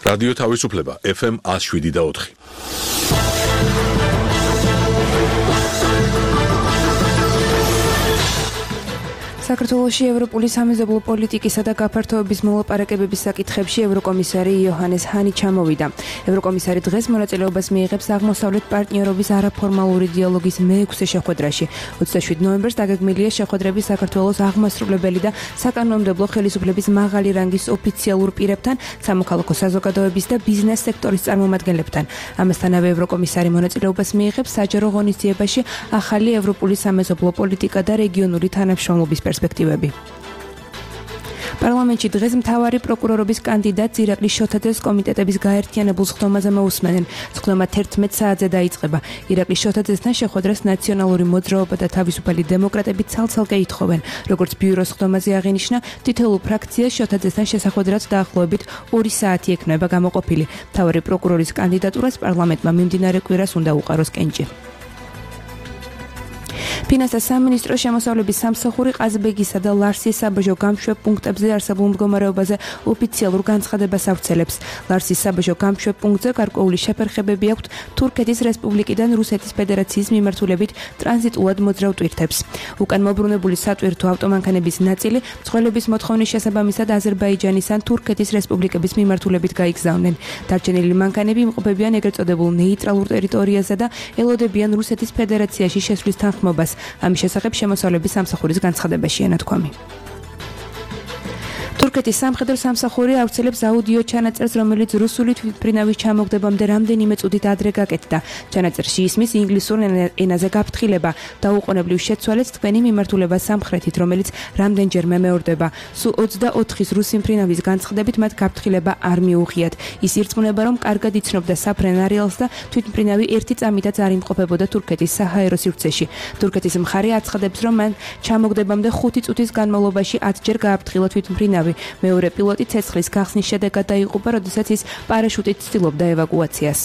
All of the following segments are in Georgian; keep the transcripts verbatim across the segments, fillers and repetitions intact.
რადიო თავისუფლება ეფ ემ one oh seven და four. საქართველოში ევროპული სამეზობლო პოლიტიკისა და გაფართოების მოლაპარაკებების საკითხებში ევროკომისარი იოჰანეს ჰანი ჩამოვიდა. ევროკომისარი დღეს მონაწილეობას მიიღებს აღმოსავლეთ პარტნიორობის არაფორმალური დიალოგის მეექვსე შეხვედრაში. ოცდაშვიდ ნოემბერს დაგეგმილია შეხვედრები საქართველოს აღმასრულებელი და საკანონმდებლო ხელისუფლების მაღალი რანგის ოფიციალურ პირებთან, სამოქალაქო საზოგადოების და ბიზნეს სექტორის წარმომადგენლებთან. ამასთანავე ევროკომისარი მონაწილეობას მიიღებს საჯარო ღონისძიებაში ახალი ევროპული სამეზობლო პოლიტიკა და რეგიონული თანამშრომლობის პერსპექტივები. პარლამენტში დღეს მთავარი პროკურორობის კანდიდატ ირაკლი შოთაძეს კომიტეტების გაერთიანებულ სხდომაზე მოусმენენ. სხდომა თერთმეტ საათზე დაიწყება. ირაკლი შოთაძესთან შეხვედრას ნაციონალური მოძრაობა და თავისუფალი დემოკრატები ცალ-ცალკე ითხოვენ. როგორც ბიუროს სხდომაზე აღინიშნა, თითოეულ ფრაქციას შოთაძესთან შესახვედრად დაახლოებით ორი საათი ექნება გამოყოფილი. მთავარი პროკურორის კანდიდატურას პარლამენტმა მიმდინარე კვირას უნდა უყაროს კენჭი. ფინანსთა სამინისტრო შემოსავლების სამსახური ყაზბეგისა და ლარსის საბაჟო გამშვებ პუნქტებზე არსებულ მდგომარეობაზე ოფიციალურ განცხადებას ავრცელებს. ლარსის საბაჟო გამშვებ პუნქტზე გარკვეული შეფერხებები აქვთ თურქეთის რესპუბლიკიდან რუსეთის ფედერაციის მიმართულებით ტრანზიტულად მოძრავ ტვირთებს. უკან მობრუნებული სატვირთო ავტომანქანების ნაწილი მძღოლების მოთხოვნის შესაბამისად აზერბაიჯანის ან თურქეთის რესპუბლიკების მიმართულებით გაიგზავნენ. დარჩენილი მანქანები იმყოფებიან ეგრეთ წოდებულ ნეიტრალურ ტერიტორიაზე და ელოდებიან რუსეთის ფედერაციაში შესვლის თანხმობას. ამის შესახებ შემოსავლების სამსახურის განცხადებაშია ნათქვამი. თურქეთის სამხედრო სამსახური ავრცელებს აუდიო ჩანაწერს, რომელიც რუსული თვითმფრინავის ჩამოგდებამდე რამდენიმე წუთით ადრე გაკეთდა. ჩანაწერში ისმის ინგლისურ ენაზე გაფრთხილება, დაუყოვნებლივ შეცვალეთ თქვენი მიმართულება სამხრეთით, რომელიც რამდენჯერმე მეორდება. სულ ოცდაოთხის რუსი მფრინავის განცხადებით მათ გაფრთხილება არ მიუღიათ. ის ირწმუნება, რომ კარგად იცნობდა საფრენარიალს და თვითმფრინავი ერთი წამითაც არ იმყოფებოდა თურქეთის საჰაერო სივრცეში. თურქეთის მხარე აცხადებს, რომ მან ჩამოგდებამდე ხუთი წუთის განმავლობაში ათჯერ გააფრთხილა თვითმფრინავი. მეორე პილოტი ცეცხლის გახსნის შედეგად დაიღუპა, როდესაც ის პარაშუტით ცდილობდა ევაკუაციას.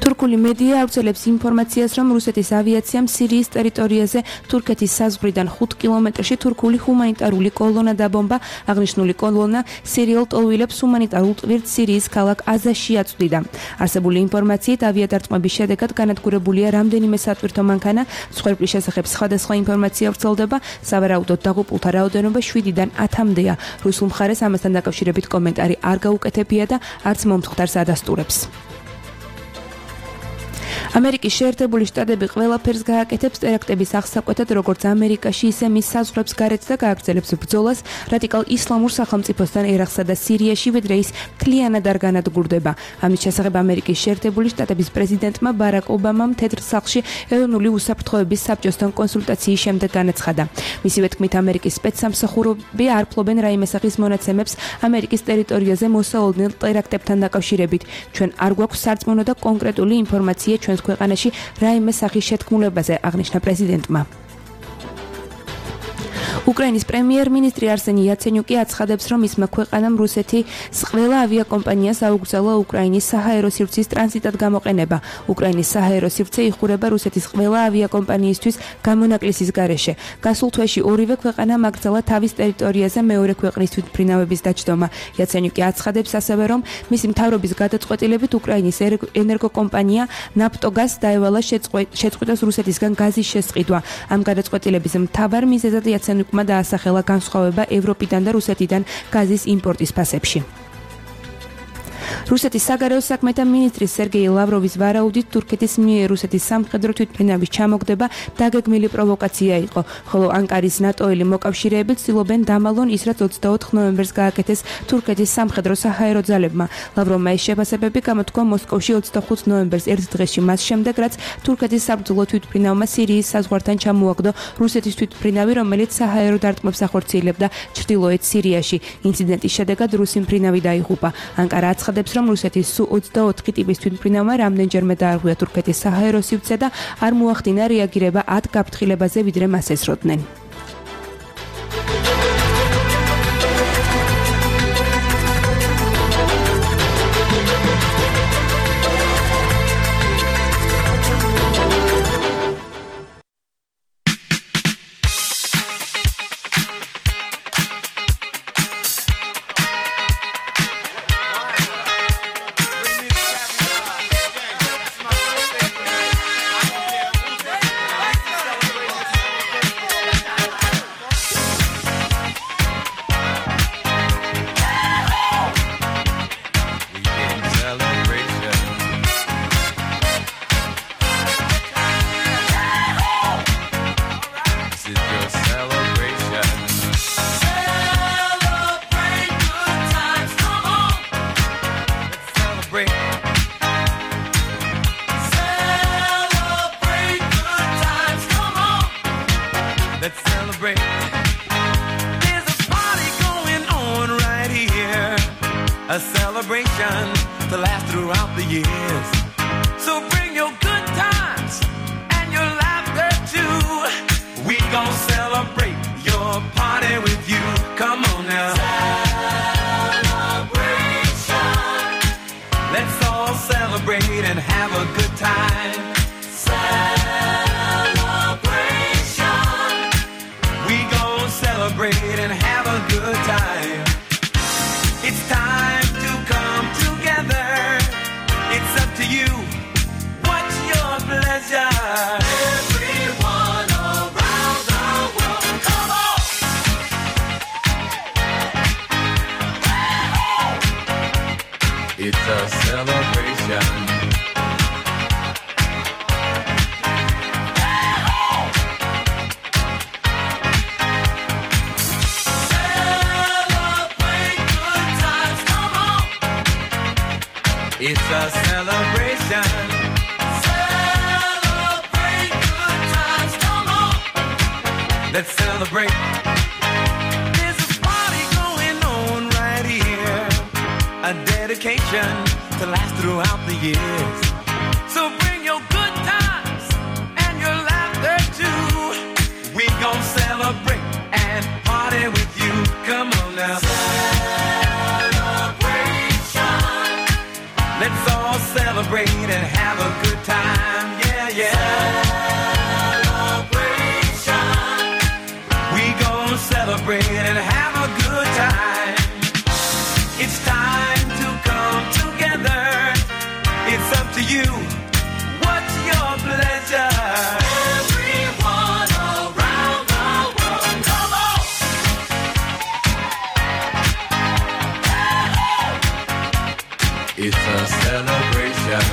თურქული მედია ავრცელებს ინფორმაციას, რომ რუსეთის ავიაციამ სირიის ტერიტორიაზე თურქეთის საზღვრიდან ხუთ კილომეტრში თურქული ჰუმანიტარული კოლონა დაბომბა. აღნიშნული კოლონა სირიელ ტოლვილებს ჰუმანიტარულ ტვირთ სირიის ქალაქ აზაში აწვდიდა. არსებული ინფორმაციით ავიადარწმების შედეგად განადგურებულია რამდენიმე სატვირთო მანქანა. მსხვერპლის შესახებ სხვადასხვა ინფორმაცია ვრცელდება. სავარაუდოდ დაღუპულთა რაოდენობა შვიდიდან ათამდეა. რუსულ მხარეს ამასთან დაკავშირებით კომენტარი არ გაუკეთებია და არც მომთხვდარს ადასტურებს. ამერიკის შეერთებული შტატები ყველაფერს გააკეთებს ტერაქტების აღსაკვეთად, როგორც ამერიკაში, ისე მის საზღვრებს გარეთ და გააგრძელებს ბრძოლას რადიკალ ისლამურ სახელმწიფოსთან ერაყსა და სირიაში, ვიდრე ის მთლიანად არ განადგურდება. ამის შესახებ ამერიკის შეერთებული შტატების პრეზიდენტმა ბარაკ ობამამ თეთრ სახლში ეროვნული უსაფრთხოების საბჭოსთან კონსულტაციის შემდეგ განაცხადა. მისივე თქმით, ამერიკის სპეცსამსახურები არ ფლობენ რაიმე სახის მონაცემებს ამერიკის ტერიტორიაზე მოსავალდნენ ტერაქტებთან დაკავშირებით. ჩვენ არ გვაქვს სარწმუნო და კონკრეტული ინფორმაცია ჩვენს ქვეყანაში რაიმე სახის შეთქმულებაზე, აღნიშნა პრეზიდენტმა. უკრაინის პრემიერ-მინისტრი არსენი იაცენიუკი აცხადებს, რომ ისმა ქვეყანამ რუსეთის ყველა ავიაკომპანიას აუგზავნა უკრაინის საჰაერო სივრცის ტრანზიტად გამოყენება. უკრაინის საჰაერო სივრცე იხურება რუსეთის ყველა ავიაკომპანიისთვის გამონაკლისის გარეშე. გასულ თვეში ორივე ქვეყანამ აკრძალა თავის ტერიტორიაზე მეორე ქვეყნის თვითმფრინავების დაჯდომა. იაცენიუკი აცხადებს ასევე, რომ მისი მთავრობის გადაწყვეტილებით უკრაინის ენერგოკომპანია ნაფტოგაზ დაევალა შეწყვიტოს რუსეთისგან გაზის შესყიდვა. ამ გადაწყვეტილების მთავარ მიზეზად იაცენიუკმა დაასახელა განსხვავება ევროპიდან და რუსეთიდან გაზის იმპორტის ფასებში. რუსეთის საგარეო საქმეთა მინისტრის სერგეი ლავროვის ვარაუდით თურქეთის მიერ რუსეთის სამხედრო თვითმფრინავის ჩამოგდება დაგეგმილი პროვოკაცია იყო, ხოლო ანკარის ნატოელი მოკავშირეები ცდილობენ დამალონ ის, რაც ოცდაოთხ ნოემბერს გააკეთეს თურქეთის სამხედრო საჰაერო ძალებმა. ლავროვმა ეს შეფასებები გამოთქვა მოსკოვში ოცდახუთ ნოემბერს ერთ დღეში მას შემდეგ, რაც თურქეთის საბრძოლო თვითმფრინავმა სირიის საზღვართან ჩამოაგდო რუსეთის თვითმფრინავი, რომელიც საჰაერო დარტყმებს ახორციელებდა ჩრდილოეთ სირიაში. ინციდენტის შედეგად რუსი მფრინავი დაიღუპა. ანკარა აცხადებს, რომ რუსეთის სუ ოცდაოთხი ტიპის თვითმფრინავმა რამდენჯერმე დაარღვია თურქეთის საჰაერო სივრცე და არ მოახდინა რეაგირება ათ გაფრთხილებაზე, ვიდრე მას ესროდნენ. celebrate. There's a party going on right here, a celebration to last throughout the years. So bring your good times and your laughter too. We gon' celebrate your party with you. Come on now. Celebration. Let's all celebrate and have a good time. Celebration. We gon' celebrate and have a good time. It's time to come together. It's up to you. What's your pleasure? Everyone around the world, come on! It's a celebration. Celebrate good times, come on! It's a celebration. Celebrate good times, come on! Let's celebrate. There's a party going on right here, a dedication to last throughout the years. So bring your good times and your laughter too. We gon' celebrate and party with you. Come on now. Celebration. Let's all celebrate and have a good time. Yeah, yeah. Celebration. We gon' celebrate and have a good time. It's time to come together. It's up to you. What's your pleasure? Everyone around the world, come on! It's a celebration.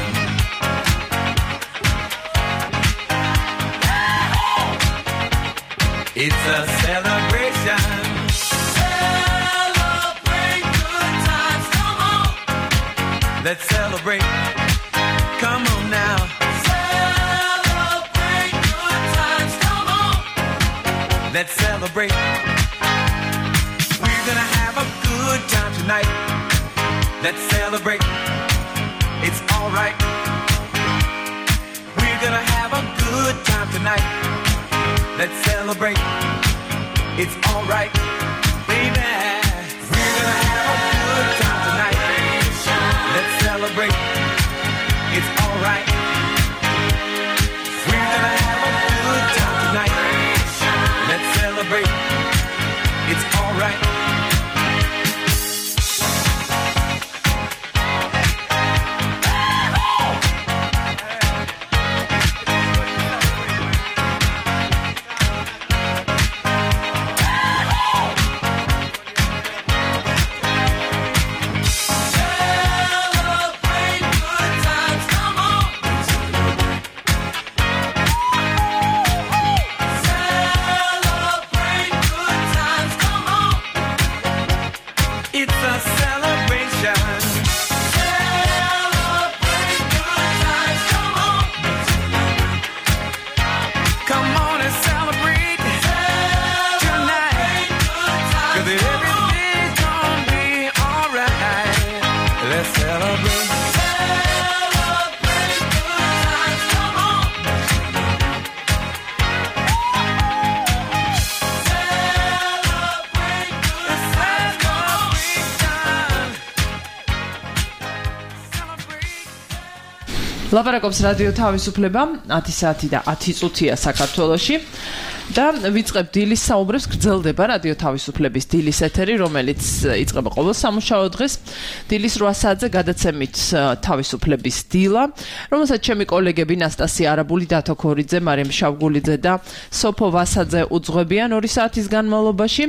It's a celebration. Celebrate good times, come on! Let's celebrate. Come on now. Celebrate good times, come on! Let's celebrate. We're gonna have a good time tonight. Let's celebrate. It's alright. We're gonna have a good time tonight. Let's celebrate. It's alright, baby. We're gonna have a good time tonight. Let's celebrate. It's alright. We're gonna have a good time tonight. Let's celebrate. It's alright. ლაპარაკობს რადიო თავისუფლება ათი საათი და ათი წუთია საქართველოში და ვიწყებ დილის საუბრებს. გრძელდება რადიო თავისუფლების დილის ეთერი, რომელიც იწყება ყოველ სამუშაო დღეს დილის რვა საათზე გადაცემით თავისუფლების დილა, რომელსაც ჩემი კოლეგები ნასტასია არაბული, დათო ქორიძე, მარიამ შავგულიძე და სოფო ვასაძე უძღვებიან ორი საათის განმავლობაში.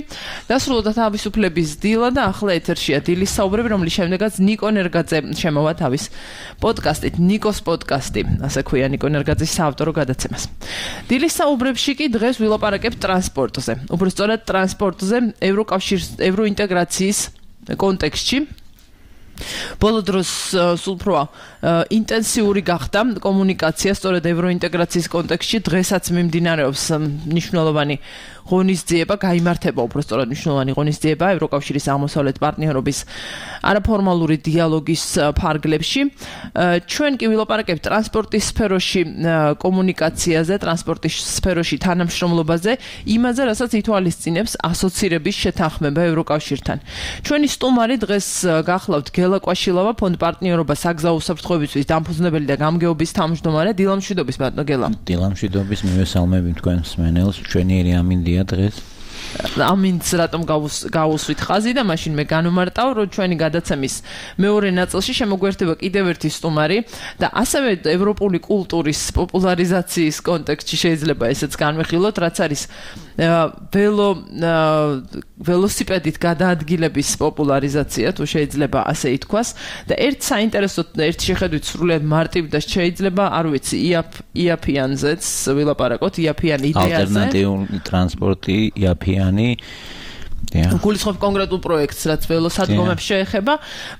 დასრულდა თავისუფლების დილა და ახლა ეთერშია დილის საუბრები, რომლის შემდეგაც ნიკო ნერგაძე შემოვა თავის პოდკასტით, ნიკოს პოდკასტი, ასე ქვია ნიკო ნერგაძის საავტორო გადაცემას. დილის საუბრებში კი დღეს ვილაპარაკებ ტრანსპორტზე. უბრალოდ ტრანსპორტზე ევროკავშირის ევროინტეგრაციის კონტექსტში. ბოლო დროს სულ უფრო ინტენსიური გახდა კომუნიკაცია სწორედ ევროინტეგრაციის კონტექსტში. დღესაც მიმდინარეობს მნიშვნელოვანი ღონისძიება გაიმართება უბრალოდ მნიშვნელოვანი ღონისძიება ევროკავშირის აღმოსავლეთ პარტნიორობის არაფორმალური დიალოგის ფარგლებში. ჩვენ კი ვილაპარაკებთ ტრანსპორტის სფეროში კომუნიკაციაზე, ტრანსპორტის სფეროში თანამშრომლობაზე, იმაზე, რასაც ითვალისწინებს ასოცირების შეთანხმება ევროკავშირთან. ჩვენი სტუმარი დღეს გახლავთ გელა კვაშილავა, ფონდ პარტნიორობა საგზაო უსაფრთხოებისთვის დამფუძნებელი და გამგეობის თავმჯდომარე. დილამშვიდობის ბატონო გელა. დილამშვიდობის, მივესალმები თქვენს მენელს. ჩვენიერი ამინდია დღეს. ამინც რატომ გავუსვით ხაზი და მაშინ მე განვმარტავ, რომ ჩვენი გადაცემის მეორე ნაწილში შემოგვერთება კიდევ ერთი სტუმარი და ასევე ევროპული კულტურის პოპულარიზაციის კონტექსტში შეიძლება ესეც განვიხილოთ, რაც არის ველო ველოსიპედით გადაადგილების პოპულარიზაცია, თუ შეიძლება ასე ითქვას და ერთ საინტერესო ერთ შეხედვით სრულიად მარტივ და შეიძლება, არ ვიცი, იაფიანზეც ვილაპარაკოთ, იაფიან იდეაზე. ალტერნატიული ტრანსპორტი, იაფიანი გულისხმობ კონკრეტულ პროექტს, რაც ველოსადგომებს შეეხება.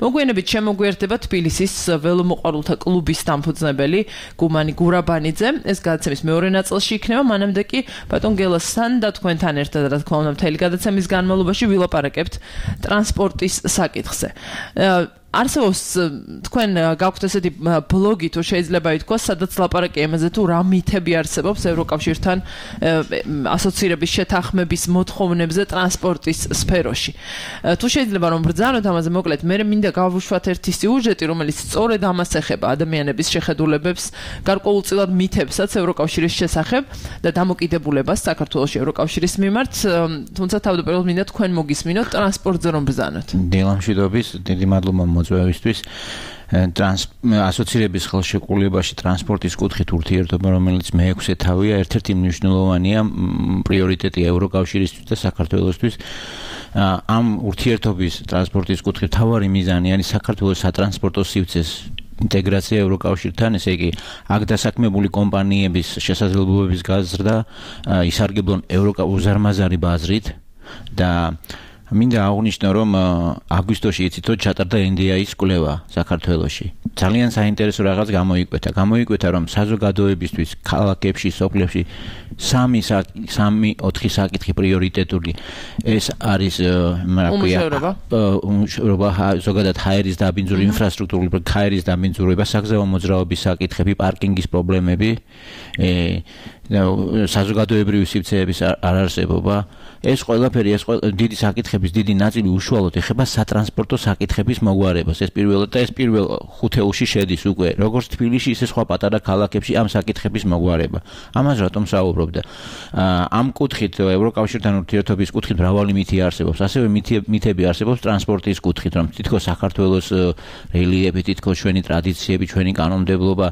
მოგვიანებით შემოგვიერთება თბილისის ველომოყვარულთა კლუბის დამფუძნებელი გუმანი გურაბანიძე. ეს გადაცემის მეორე ნაწილში იქნება, მანამდე კი ბატონ გელასთან და თქვენთან ერთად, რა თქმა უნდა, მთელი გადაცემის განმავლობაში ვილაპარაკებთ ტრანსპორტის საკითხზე. არსებობს თქვენ გაქვთ ესეთი ბლოგი, თუ შეიძლება ითქვას, სადაც ლაპარაკია იმაზე, თუ რა მითები არსებობს ევროკავშირთან ასოცირების შეთანხმების მოთხოვნებზე ტრანსპორტის სფეროში. თუ შეიძლება რომ ბრძანოთ ამაზე მოკლედ, მე მინდა გავუშვათ ერთი სიუჟეტი, რომელიც სწორედ ამას ეხება ადამიანების შეხედულებებს, გარკვეულწილად მითებსაც ევროკავშირის შესახებ და დამოკიდებულებას საქართველოს ევროკავშირის მიმართ, თუმცა თავდაპირველად მინდა თქვენ მოგისმინოთ ტრანსპორტზე რომ ბრძანოთ. დილამშვიდობის, დიდი მადლობა მოწვევისთვის. ასოცირების ხელშეკრულებაში ტრანსპორტის კუთხით ურთიერთობა, რომელიც მეექვსე თავია, ერთ-ერთი მნიშვნელოვანია პრიორიტეტი ევროკავშირისთვის და საქართველოსთვის. ამ ურთიერთობის ტრანსპორტის კუთხით მთავარი მიზანი არის საქართველოს სატრანსპორტო სივრცეს ინტეგრაცია ევროკავშირთან, ესე იგი, აქ დასაქმებული კომპანიების შესაძლებლობების გაზრდა ისარგებლონ უზარმაზარი ბაზრით და მინდა აღვნიშნო, რომ აგვისტოში იცით, რომ ჩატარდა ენ დი აის კვლევა საქართველოში. ძალიან საინტერესო რაღაც გამოიკვეთა. გამოიკვეთა, რომ საზოგადოებისთვის ქალაქებში, სოფლებში სამი სამი ოთხი საკითხი პრიორიტეტული. ეს არის უმუშევრობა, ზოგადად ჰაერის დაბინძური ინფრასტრუქტურული, ჰაერის დაბინძურება, საგზაო მოძრაობის საკითხები, პარკინგის პრობლემები, საზოგადოებრივი სივრცეების არარსებობა. ეს ყველაფერი, ეს დიდი საკითხების დიდი ნაწილი უშუალოდ ეხება სატრანსპორტო საკითხების მოგვარებას. ეს პირველად და ეს პირველ ხუთეულში შედის უკვე, როგორც თბილისში, ისე სხვა პატარა ქალაქებში ამ საკითხების მოგვარება. ამას რატომ საუბრობდა? ამ კუთხით ევროკავშირთან ურთიერთობის კუთხით მრავალი მითი არსებობს. ასევე მითები არსებობს ტრანსპორტის კუთხით, რომ თითქოს საქართველოს რელიეფი, თითქოს ჩვენი ტრადიციები, ჩვენი კანონმდებლობა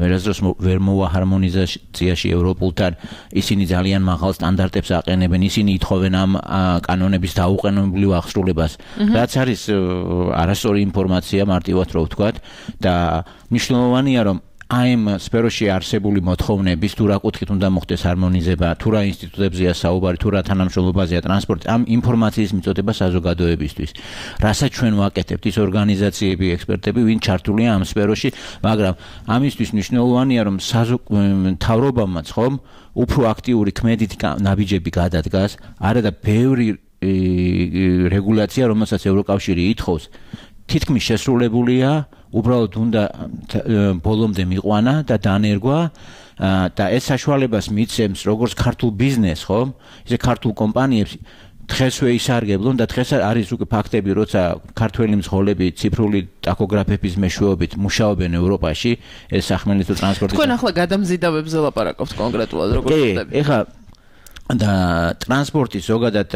ვერასდროს ვერ მოვა ჰარმონიზაციაში ევროპულთან. ისინი ძალიან მაღალ სტანდარტებს აყენებენ, ისინი ითხოვენ ამ კანონების დაუყენებლივ აღსრულებას. რაც არის არასწორი ინფორმაცია, მარტივად რო ვთქვათ და მნიშვნელოვანია, რომ აი ამ სფეროში არსებული მოთხოვნების თუ რა კუთხით უნდა მოხდეს ჰარმონიზება, თუ რა ინსტიტუტებზეა საუბარი, თუ რა თანამშრომლობაზეა ტრანსპორტი, ამ ინფორმაციის მიწოდება საზოგადოებისთვის. რასაც ჩვენ ვაკეთებთ, ის ორგანიზაციები, ექსპერტები, ვინ ჩართულია ამ სფეროში, მაგრამ ამისთვის მნიშვნელოვანია, რომ მთავრობამაც ხომ უფრო აქტიური ქმედითი ნაბიჯები გადადგას, არა და ბევრი რეგულაცია, რომელსაც ევროკავშირი ითხოვს, თითქმის შესრულებულია, უბრალოდ უნდა ბოლომდე მიყვანა და დანერგვა და ეს საშუალებას მიცემს როგორც ქართულ ბიზნესს, ხო? ისე ქართულ კომპანიებს დღესვე ისარგებლონ და დღეს არის უკვე ფაქტები, როცა ქართველი მძღოლები ციფრული ტაქოგრაფების მეშვეობით მუშაობენ ევროპაში, ეს სახმელეთო ტრანსპორტის. თქვენ ახლა გადამზიდავებზე ლაპარაკობთ კონკრეტულად როგორ ხდება? კი, ეხლა და ტრანსპორტის ზოგადად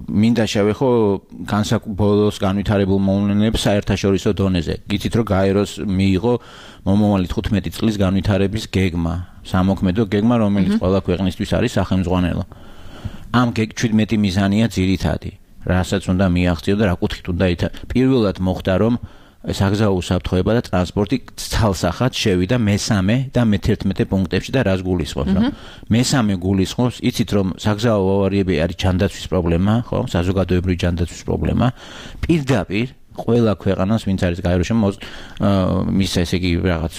მინდა შევეხო განსაკუთრებულს განვითარებულ მოვლენებს საერთაშორისო დონეზე. გიცით რომ გაეროს მიიღო მომავალი თხუთმეტი წლის განვითარების გეგმა, სამოქმედო გეგმა, რომელიც ყველა ქვეყნისთვის არის სახელმძღვანელო. ამ შვიდმეტი მიზანია ძირითადი, რასაც უნდა მიაღწიო და რა კუთხით უნდა ითა. პირველად მოხდა რომ საგზაო უსაფრთხოება და ტრანსპორტი ცალსახად შევიდა მესამე და მეთერთმეტე პუნქტებში და რას გულისხმობს, რომ მესამე გულისხმობს, იცით რომ საგზაო ავარიები არის ჯანდაცვის პრობლემა, ხო, საზოგადოებრივი ჯანდაცვის პრობლემა, პირდაპირ ყველა ქვეყანას, ვინც არის გაეროში, მის ესე იგი რაღაც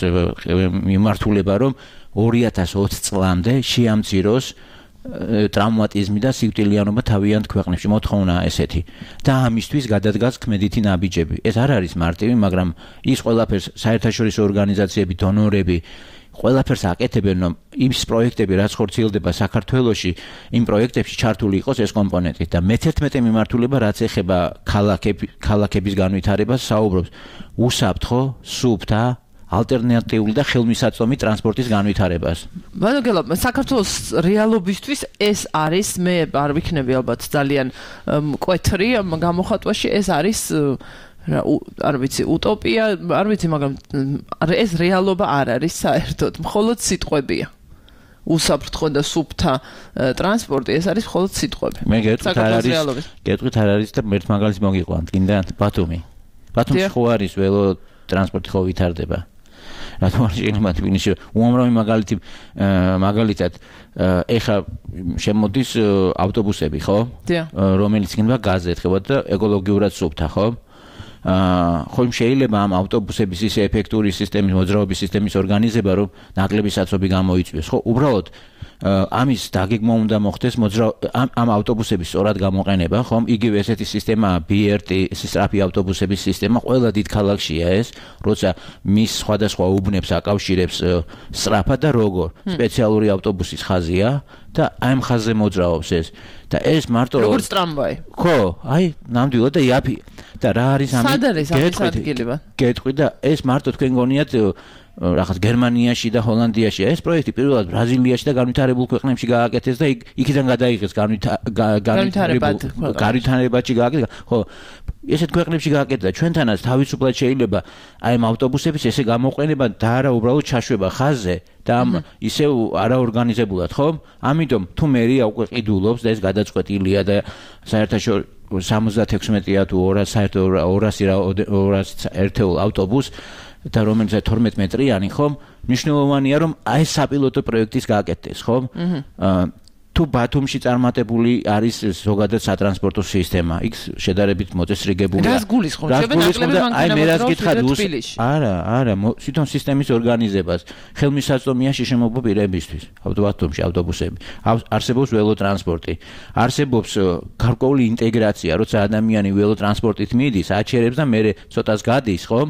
მიმართულება, რომ ორი ათას ოცი წლამდე შეამციროს ტრავმატიზმი და სიკვდილიანობა თავიანთ ქვეყნებში მოთხოვნა ესეთი და ამისთვის გადადგას ქმედითი ნაბიჯები. ეს არ არის მარტივი, მაგრამ ის ყველაფერს საერთაშორისო ორგანიზაციები, დონორები ყველაფერს აკეთებენ, რომ ის პროექტები, რაც ხორციელდება საქართველოში, იმ პროექტებში ჩართული იყოს ეს კომპონენტი და მეთერთმეტე მიმართულება, რაც ეხება ქალაქების განვითარებას, საუბრობს უსაფრთხო, სუფთა ალტერნატიული და ხელმისაწვდომი ტრანსპორტის განვითარებას. მადლობა, საქართველოს რეალობისთვის ეს არის, მე არ ვიქნები ალბათ ძალიან მკვეთრი გამოხატვაში, ეს არის არ ვიცი, უტოპია, არ ვიცი, მაგრამ ეს რეალობა არ არის საერთოდ, მხოლოდ სიტყვებია. უსაფრთხო და სუფთა ტრანსპორტი, ეს არის მხოლოდ სიტყვები. მე გეტყვით არ არის, გეტყვით არ არის და ერთ მაგალითს მოგიყვანთ, კიდე ბათუმი. ბათუმში ხო არის ველო ტრანსპორტი ხო ვითარდება. რატომ არ შეიძლება თბილისში უამრავი მაგალითი მაგალითად ეხა შემოდის ავტობუსები, ხო? რომელიც იქნება გაზზე ეთქება და ეკოლოგიურად სუფთა, ხო? აა ხომ შეიძლება ამ ავტობუსების ისე ეფექტური სისტემის, მოძრაობის სისტემის ორგანიზება, რომ ნაკლები საცობი გამოიწვიოს, ხო? უბრალოდ ამის დაგეგმვა უნდა მოხდეს მოძრა ამ ამ ავტობუსების სწორად გამოყენება, ხომ? იგივე ესეთი სისტემაა ბი არ ტი, სწრაფი ავტობუსების სისტემა, ყველა დიდ ქალაქშია ეს, როცა მის სხვადასხვა უბნებს აკავშირებს სწრაფად და როგორ. სპეციალური ავტობუსის ხაზია და აი ამ ხაზზე მოძრაობს ეს. და ეს მარტო როგორც ტრამვაი. ხო, აი, ნამდვილად და იაფი. და რა არის ამის? სად არის ამის ადგილი? გეტყვი და ეს მარტო თქვენ გონიათ რაღაც გერმანიაში და ჰოლანდიაში ეს პროექტი პირველად ბრაზილიაში და განვითარებულ ქვეყნებში გააკეთეს და იქიდან გადაიღეს განვითარებაში გააკეთეს. ხო, ესეთ ქვეყნებში გააკეთეს და ჩვენთანაც თავისუფლად შეიძლება აი ამ ავტობუსების ესე გამოყენება და არა უბრალოდ ჩაშვება ხაზზე და ამ ისევ არაორგანიზებულად, ხო? ამიტომ თუ მერია უკვე ყიდულობს და ეს გადაწყვეტილია და საერთაშორისო სამოცდათექვსმეტია თუ ორასი ერთეულ ავტობუს და რომელიც თორმეტ მეტრიანი, ხომ? მნიშვნელოვანია, რომ აი საპილოტო პროექტის გააკეთდეს, ხომ? აა თუ ბათუმში წარმატებული არის ზოგადად სატრანსპორტო სისტემა, იქ შედარებით მოწესრიგებულია. რას გულისხმობ? შეიძლება აი მე რას გითხრათ, არა, არა, თვითონ სისტემის ორგანიზებას ხელმისაწვდომია შეშემოება პირებისთვის. ბათუმში ავტობუსები, არსებობს ველოტრანსპორტი, არსებობს გარკვეული ინტეგრაცია, როცა ადამიანი ველოტრანსპორტით მიდის, აჩერებს და მერე ცოტას გადის, ხომ?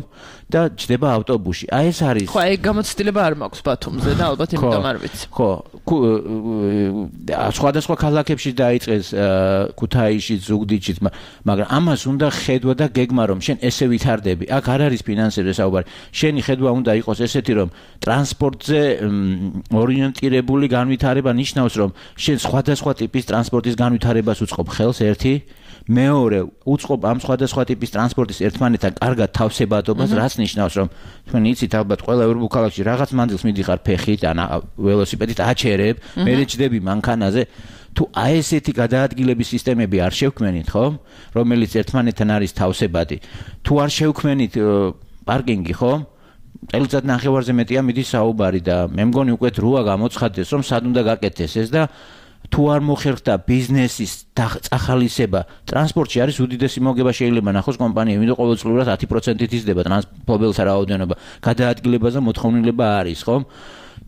და ჯდება ავტობუსში. აი ეს არის. ხო, ეგ გამოცდილება არ მაქვს ბათუმზე და ალბათ იმიტომ არ ვიცი. ხო, სხვადასხვა ქალაქებში დაიწყეს ქუთაისში, ზუგდიდში, მაგრამ ამას უნდა ხედვა და გეგმა, რომ შენ ესე ვითარდები. აქ არ არის ფინანსებზე საუბარი. შენი ხედვა უნდა იყოს ესეთი, რომ ტრანსპორტზე ორიენტირებული განვითარება ნიშნავს, რომ შენ სხვადასხვა ტიპის ტრანსპორტის განვითარებას უწყობ ხელს ერთი, მეორე უწყობ ამ სხვადასხვა ტიპის ტრანსპორტის ერთმანეთთან კარგად თავსებადობას, რაც ნიშნავს, რომ თქვენ იცით ალბათ ყველა ევროპულ ქალაქში რაღაც მანძილს მიდიხარ ფეხით, ან ველოსიპედით აჩერებ, მერე ჯდები მანქანაზე. თუ აი ესეთი გადაადგილების სისტემები არ შევქმენით, ხო? რომელიც ერთმანეთთან არის თავსებადი. თუ არ შევქმენით პარკინგი, ხო? წელიწად ნახევარზე მეტია მიდის საუბარი და მე მგონი უკვე დროა გამოცხადდეს, რომ სად უნდა გაკეთდეს ეს და თუ არ მოხერხდა ბიზნესის წახალისება, ტრანსპორტში არის უდიდესი მოგება შეიძლება ნახოს კომპანიები, იმიტომ ყოველწლიურად ათი პროცენტით იზრდება ტრანსპორტელთა რაოდენობა, გადაადგილებაზე მოთხოვნილება არის, ხო?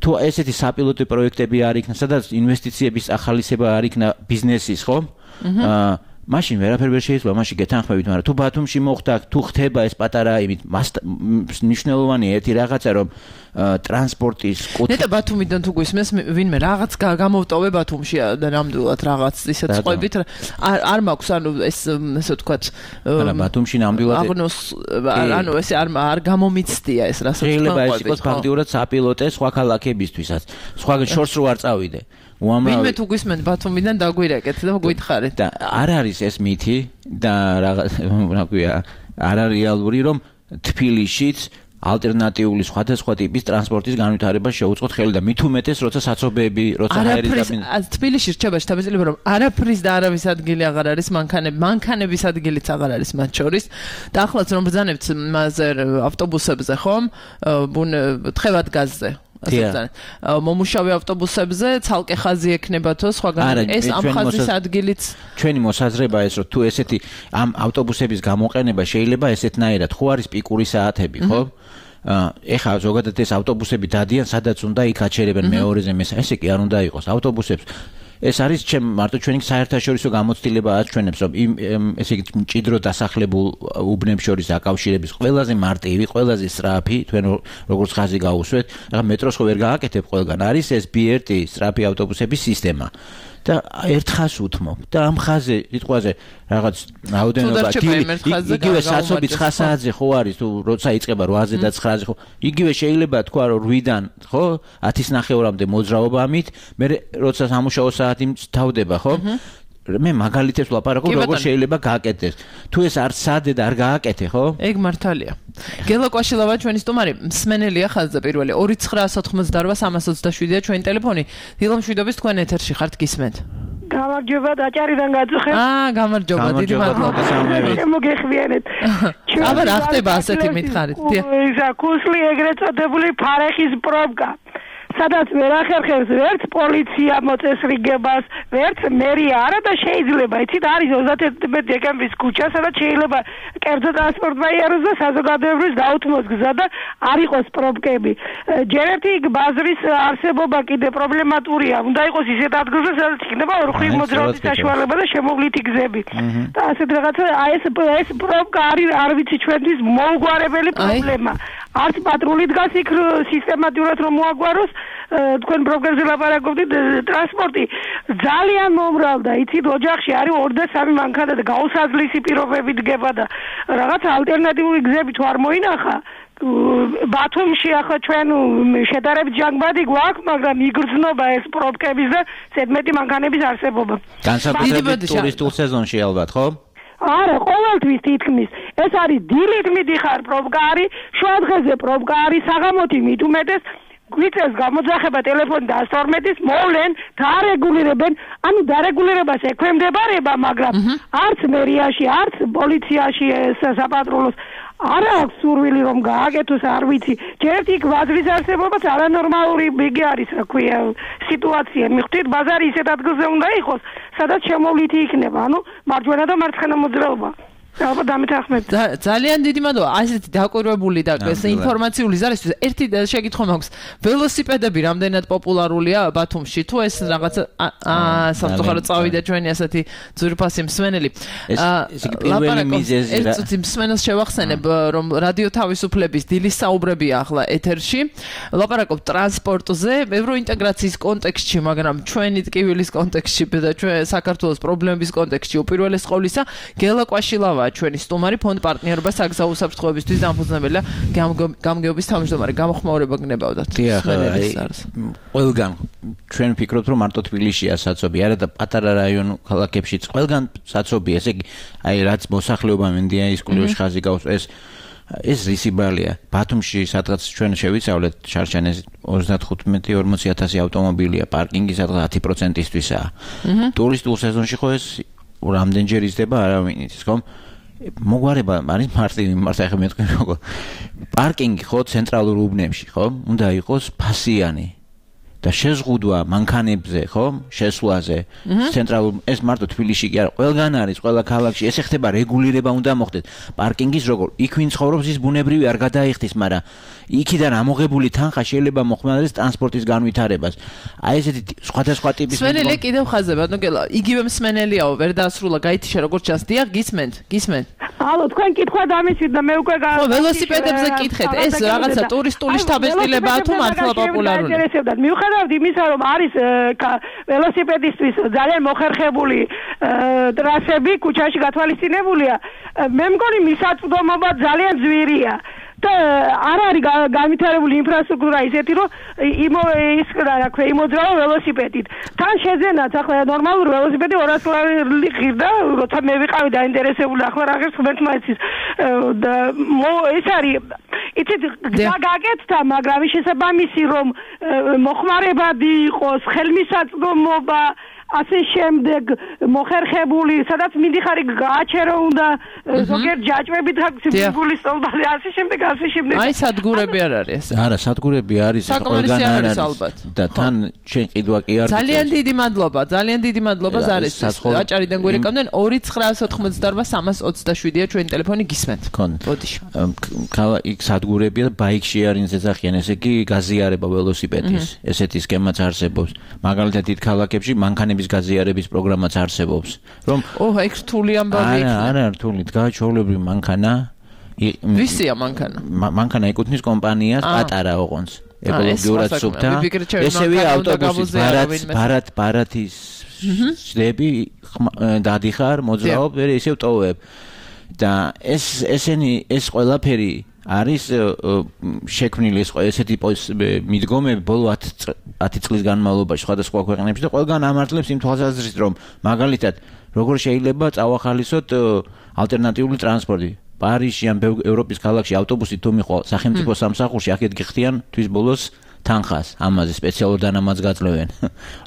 თუ ესეთი საპილოტო პროექტები არ იქნა, სადაც ინვესტიციების წახალისება არ იქნა ბიზნესის, ხო? აა მაშინ ვერაფერი ვერ შეიძლება, მაშინ გეთანხმებით, მაგრამ თუ ბათუმში მოხდა, თუ ხდება ეს პატარა იმით, მნიშვნელოვანია ერთი რაღაცა, რომ ტრანსპორტის ნეტა ბათუმიდან თუ გვისმენს ვინმე რაღაც გამოვტოვე ბათუმში და ნამდვილად რაღაც ისეთ წყვებით არ არ მაქვს ანუ ეს ესე ვთქვათ არა ბათუმში ნამდვილად აღნოს ანუ ესე არ არ გამომიცდია ეს რასაც შეიძლება ეს იყოს ფაქტიურად საპილოტე სხვა ქალაქებისთვისაც სხვა შორს რო არ წავიდე უამრავი ვინმე თუ გვისმენთ ბათუმიდან დაგვირეკეთ და გვითხარით და არ არის ეს მითი და რაღაც რა ქვია არ არის რეალური რომ თბილისშიც ალტერნატიული სხვადასხვა ტიპის ტრანსპორტის განვითარებას შეუწყოთ ხელი და მით უმეტეს როცა საცობები, როცა აეროპორტი თბილისში რჩება შთაბეჭდილება რომ არაფრის და არავის ადგილი აღარ არის, მანქანები, მანქანების ადგილიც აღარ არის მათ შორის და ახლაც რომ ბრძანებთ მასზე ავტობუსებზე ხომ, ბუნ თხევად გაზზე მომუშავე ავტობუსებზე ცალკე ხაზი ექნებათო სხვაგან ეს ამ ხაზის ადგილიც ჩვენი მოსაზრება ეს რომ თუ ესეთი ამ ავტობუსების გამოყენება შეიძლება ესეთნაირად ხო არის პიკური საათები ხო ეხლა ზოგადად ეს ავტობუსები დადიან სადაც უნდა იქ აჩერებენ მეორეზე მესამე ესე კი არ უნდა იყოს ავტობუსებს ეს არის ჩემ მარტო ჩვენი საერთაშორისო გამოცდილება აჩვენებს, რომ იმ ესე იგი მჭიდრო დასახლებულ უბნებს შორის აკავშირების ყველაზე მარტივი, ყველაზე სწრაფი, თქვენ როგორც ხაზი გაუსვეთ, ახლა მეტროს ხო ვერ გააკეთებ ყველგან, არის ეს ბი ერ ტი სწრაფი ავტობუსების სისტემა. და ერთხას უთმობ და ამ ხაზე სიტყვაზე რაღაც რაოდენობა იგივე საცობი ცხრა საათზე ხო არის თუ როცა იწყება რვაზე და ცხრაზე ხო იგივე შეიძლება თქვა რომ რვიდან ხო ათის ნახევრამდე მოძრაობა ამით მე როცა სამუშაო საათი თავდება ხო მე მაგალითებს ვლაპარაკობ როგორ შეიძლება გააკეთდეს თუ ეს არც სადე და არ გააკეთე ხო ეგ მართალია გელა კვაშილავა ჩვენი სტუმარი მსმენელია ხაზზე პირველი ორი ცხრა ათოთხმოცდარვა სამას ოცდაშვიდია ჩვენი ტელეფონი დილა მშვიდობის თქვენ ეთერში ხართ გისმენთ გამარჯობა დაჭარიდან გაწუხებ აა გამარჯობა დიდი მადლობა მოგეხმიანეთ აბა რა ხდება ასეთი მითხარით ისა კუსლი ეგრეთ წოდებული ფარეხის პრობკა სადაც ვერ ახერხებს ვერც პოლიცია მოწესრიგებას, ვერც მერია არა და შეიძლება, იცით, არის ოცდაათი დეკემბრის ქუჩა, სადაც შეიძლება კერძო ტრანსპორტმა იაროს და საზოგადოებრივ გაუთმოს გზა და არ იყოს პრობკები. ჯერ ერთი ბაზრის არსებობა კიდე პრობლემატურია, უნდა იყოს ისეთ ადგილზე, სადაც იქნება ორმხრივ მოძრაობის საშუალება და შემოვლითი გზები. და ასეთ რაღაცა, აი ეს ეს პრობკა არის, არ ვიცი, ჩვენთვის მოუგვარებელი პრობლემა. არც პატრული დგას იქ სისტემატურად რომ მოაგვაროს თქვენ პროგრამზე ლაპარაკობდით ტრანსპორტი ძალიან მომრავლდა იცით ოჯახში არის ორი და სამი მანქანა და გაუსაძლისი პირობები დგება და რაღაც ალტერნატიული გზები თუ არ მოინახა ბათუმში ახლა ჩვენ შედარებით ჟანგბადი გვაქვს მაგრამ იგრძნობა ეს პრობკების და ზედმეტი მანქანების არსებობა განსაკუთრებით ტურისტულ სეზონში ალბათ ხო არა, ყოველთვის თითქმის. ეს არის დილით მიდიხარ პრობკა არის, შუა დღეზე პრობკა არის, საღამოთი მით უმეტეს გვიწევს გამოძახება ტელეფონი და ასორმეტის მოვლენ დაარეგულირებენ, ანუ დარეგულირებას ექვემდებარება, მაგრამ არც მერიაში, არც პოლიციაში საპატრულოს არა აქვს სურვილი რომ გააკეთოს, არ ვიცი. ჯერ ერთი კვადრის არსებობაც არანორმალური ბიგი არის, რა ქვია, სიტუაცია. მიხვდით, ბაზარი ისეთ ადგილზე უნდა იყოს, სადაც შემოვლითი იქნება, ანუ მარჯვენა და მარცხენა მოძრაობა. ალბათ დამეთანხმებით. ძალიან დიდი მადლობა. ასეთი დაკვირვებული და ინფორმაციული ზარისთვის ერთი შეკითხვა მაქვს. ველოსიპედები რამდენად პოპულარულია ბათუმში? თუ ეს რაღაც აა სამწუხაროდ წავიდა ჩვენი ასეთი ძვირფასი მსმენელი. ეს პირველი მიზეზი რა. ერთ წუთი მსმენელს შევახსენებ, რომ რადიო თავისუფლების დილის საუბრებია ახლა ეთერში. ლაპარაკობ ტრანსპორტზე, ევროინტეგრაციის კონტექსტში, მაგრამ ჩვენი ტკივილის კონტექსტში და ჩვენ საქართველოს პრობლემების კონტექსტში უპირველეს ყოვლისა გელა კვაშილავა ჩვენი სტუმარი ფონდ პარტნიორობა საგზაო უსაფრთხოებისთვის დამფუძნებელი გამგეობის თავმჯდომარე გამოხმაურება გნებავდათ. დიახ, ყველგან ჩვენ ვფიქრობთ რომ მარტო თბილისშია საცობი, არა და პატარა რაიონ ქალაქებშიც ყველგან საცობია, ესე იგი აი რაც მოსახლეობა მინდია ის კულტურის ხაზი გავს ეს ეს რისიბალია. ბათუმში სადღაც ჩვენ შევიცავლეთ შარშანეს ოცდათხუთმეტი ორმოცი ათასი ავტომობილია, პარკინგი სადღაც ათი პროცენტისთვისაა. ტურისტულ სეზონში ხო ეს რამდენჯერ იზრდება არავინ იცის ხო? მოგვარება არის მარტივი მარტო ახლა მეთქვი როგორ პარკინგი ხო ცენტრალურ უბნებში ხო უნდა იყოს ფასიანი და შეზღუდვა მანქანებზე ხო შესვლაზე ცენტრალურ ეს მარტო თბილისში კი არა ყველგან არის ყველა ქალაქში ეს ხდება რეგულირება უნდა მოხდეს პარკინგის როგორ იქ ვინ ცხოვრობს ის ბუნებრივი არ გადაიხდის მაგრამ იქიდან ამოღებული თანხა შეიძლება მოხმარდეს ტრანსპორტის განვითარებას აი ესეთი სხვადასხვა ტიპის მსმენელი კიდევ ხაზზე ბატონო გელა იგივე მსმენელიაო ვერ დაასრულა გაითიშა როგორც ჩანს დიახ გისმენთ გისმენთ ალო თქვენ კითხვა დამისვით და მე უკვე გა ხო ველოსიპედებზე კითხეთ ეს რაღაცა ტურისტული შთაბეჭდილებაა თუ მართლა პოპულარულია მიუხედავად იმისა რომ არის ველოსიპედისტვის ძალიან მოხერხებული ტრასები ქუჩაში გათვალისწინებულია მე მგონი მისაწვდომობა ძალიან ძვირია და არ არის განვითარებული ინფრასტრუქტურა ისეთი რომ იმ ის რა ქვია იმოძრავა ველოსიპედით თან შეძენაც ახლა ნორმალური ველოსიპედი ორას ლარი ღირდა როცა მე ვიყავი დაინტერესებული ახლა რა ღირს ღმერთმა იცის და ეს არის იცით გაგაკეთდა მაგრამ შესაბამისი რომ მოხმარებადი იყოს ხელმისაწვდომობა ასე შემდეგ მოხერხებული სადაც მიდიხარი გააჩერო უნდა ზოგიერთ ჯაჭვებით გულის სტოლბაზე ასე შემდეგ ასე შემდეგ აი სადგურები არ არის არა სადგურები არის ყველგან არის და თან ჩვენ ყიდვა კი არის ძალიან დიდი მადლობა ძალიან დიდი მადლობა ზარეს აჭარიდან გვერეკავდნენ ორი ცხრა ათოთხმოცდაორვა სამას ოცდაშვიდია ჩვენი ტელეფონი გისმენთ ბოდიში ქალა იქ სადგურებია და ბაიქ შეარინს ეძახიან ესე იგი გაზიარება ველოსიპედის ესეთი სქემაც არსებობს მაგალითად დიდ ქალაქებში მანქანები ქვეყნების გაზიარების პროგრამაც არსებობს. რომ ო, ეგ რთული ამბავი იქნება. არა, არა, რთული, დგა ჩვეულებრივი მანქანა. ვისია მანქანა? მანქანა ეკუთვნის კომპანიას, პატარა ოღონდ. ეკოლოგიურად სუფთა. ესევე ავტობუსის ბარათ, ბარათ, ბარათის შდები დადიხარ, მოძრაობ, ვერ ისევ ტოვებ. და ეს ესენი ეს ყველაფერი არის შექმნილი ეს ესეთი მიდგომები ბოლო ათი წლის განმავლობაში სხვადასხვა ქვეყნებში და ყველგან ამართლებს იმ თვალსაზრისით რომ მაგალითად როგორ შეიძლება წავახალისოთ ალტერნატიული ტრანსპორტი პარიზში ან ევროპის ქალაქში ავტობუსით თუ მიყვა სახელმწიფო სამსახურში აქეთ გიხდიან თვის ბოლოს თანხას ამაზე სპეციალურ დანამატს გაძლევენ.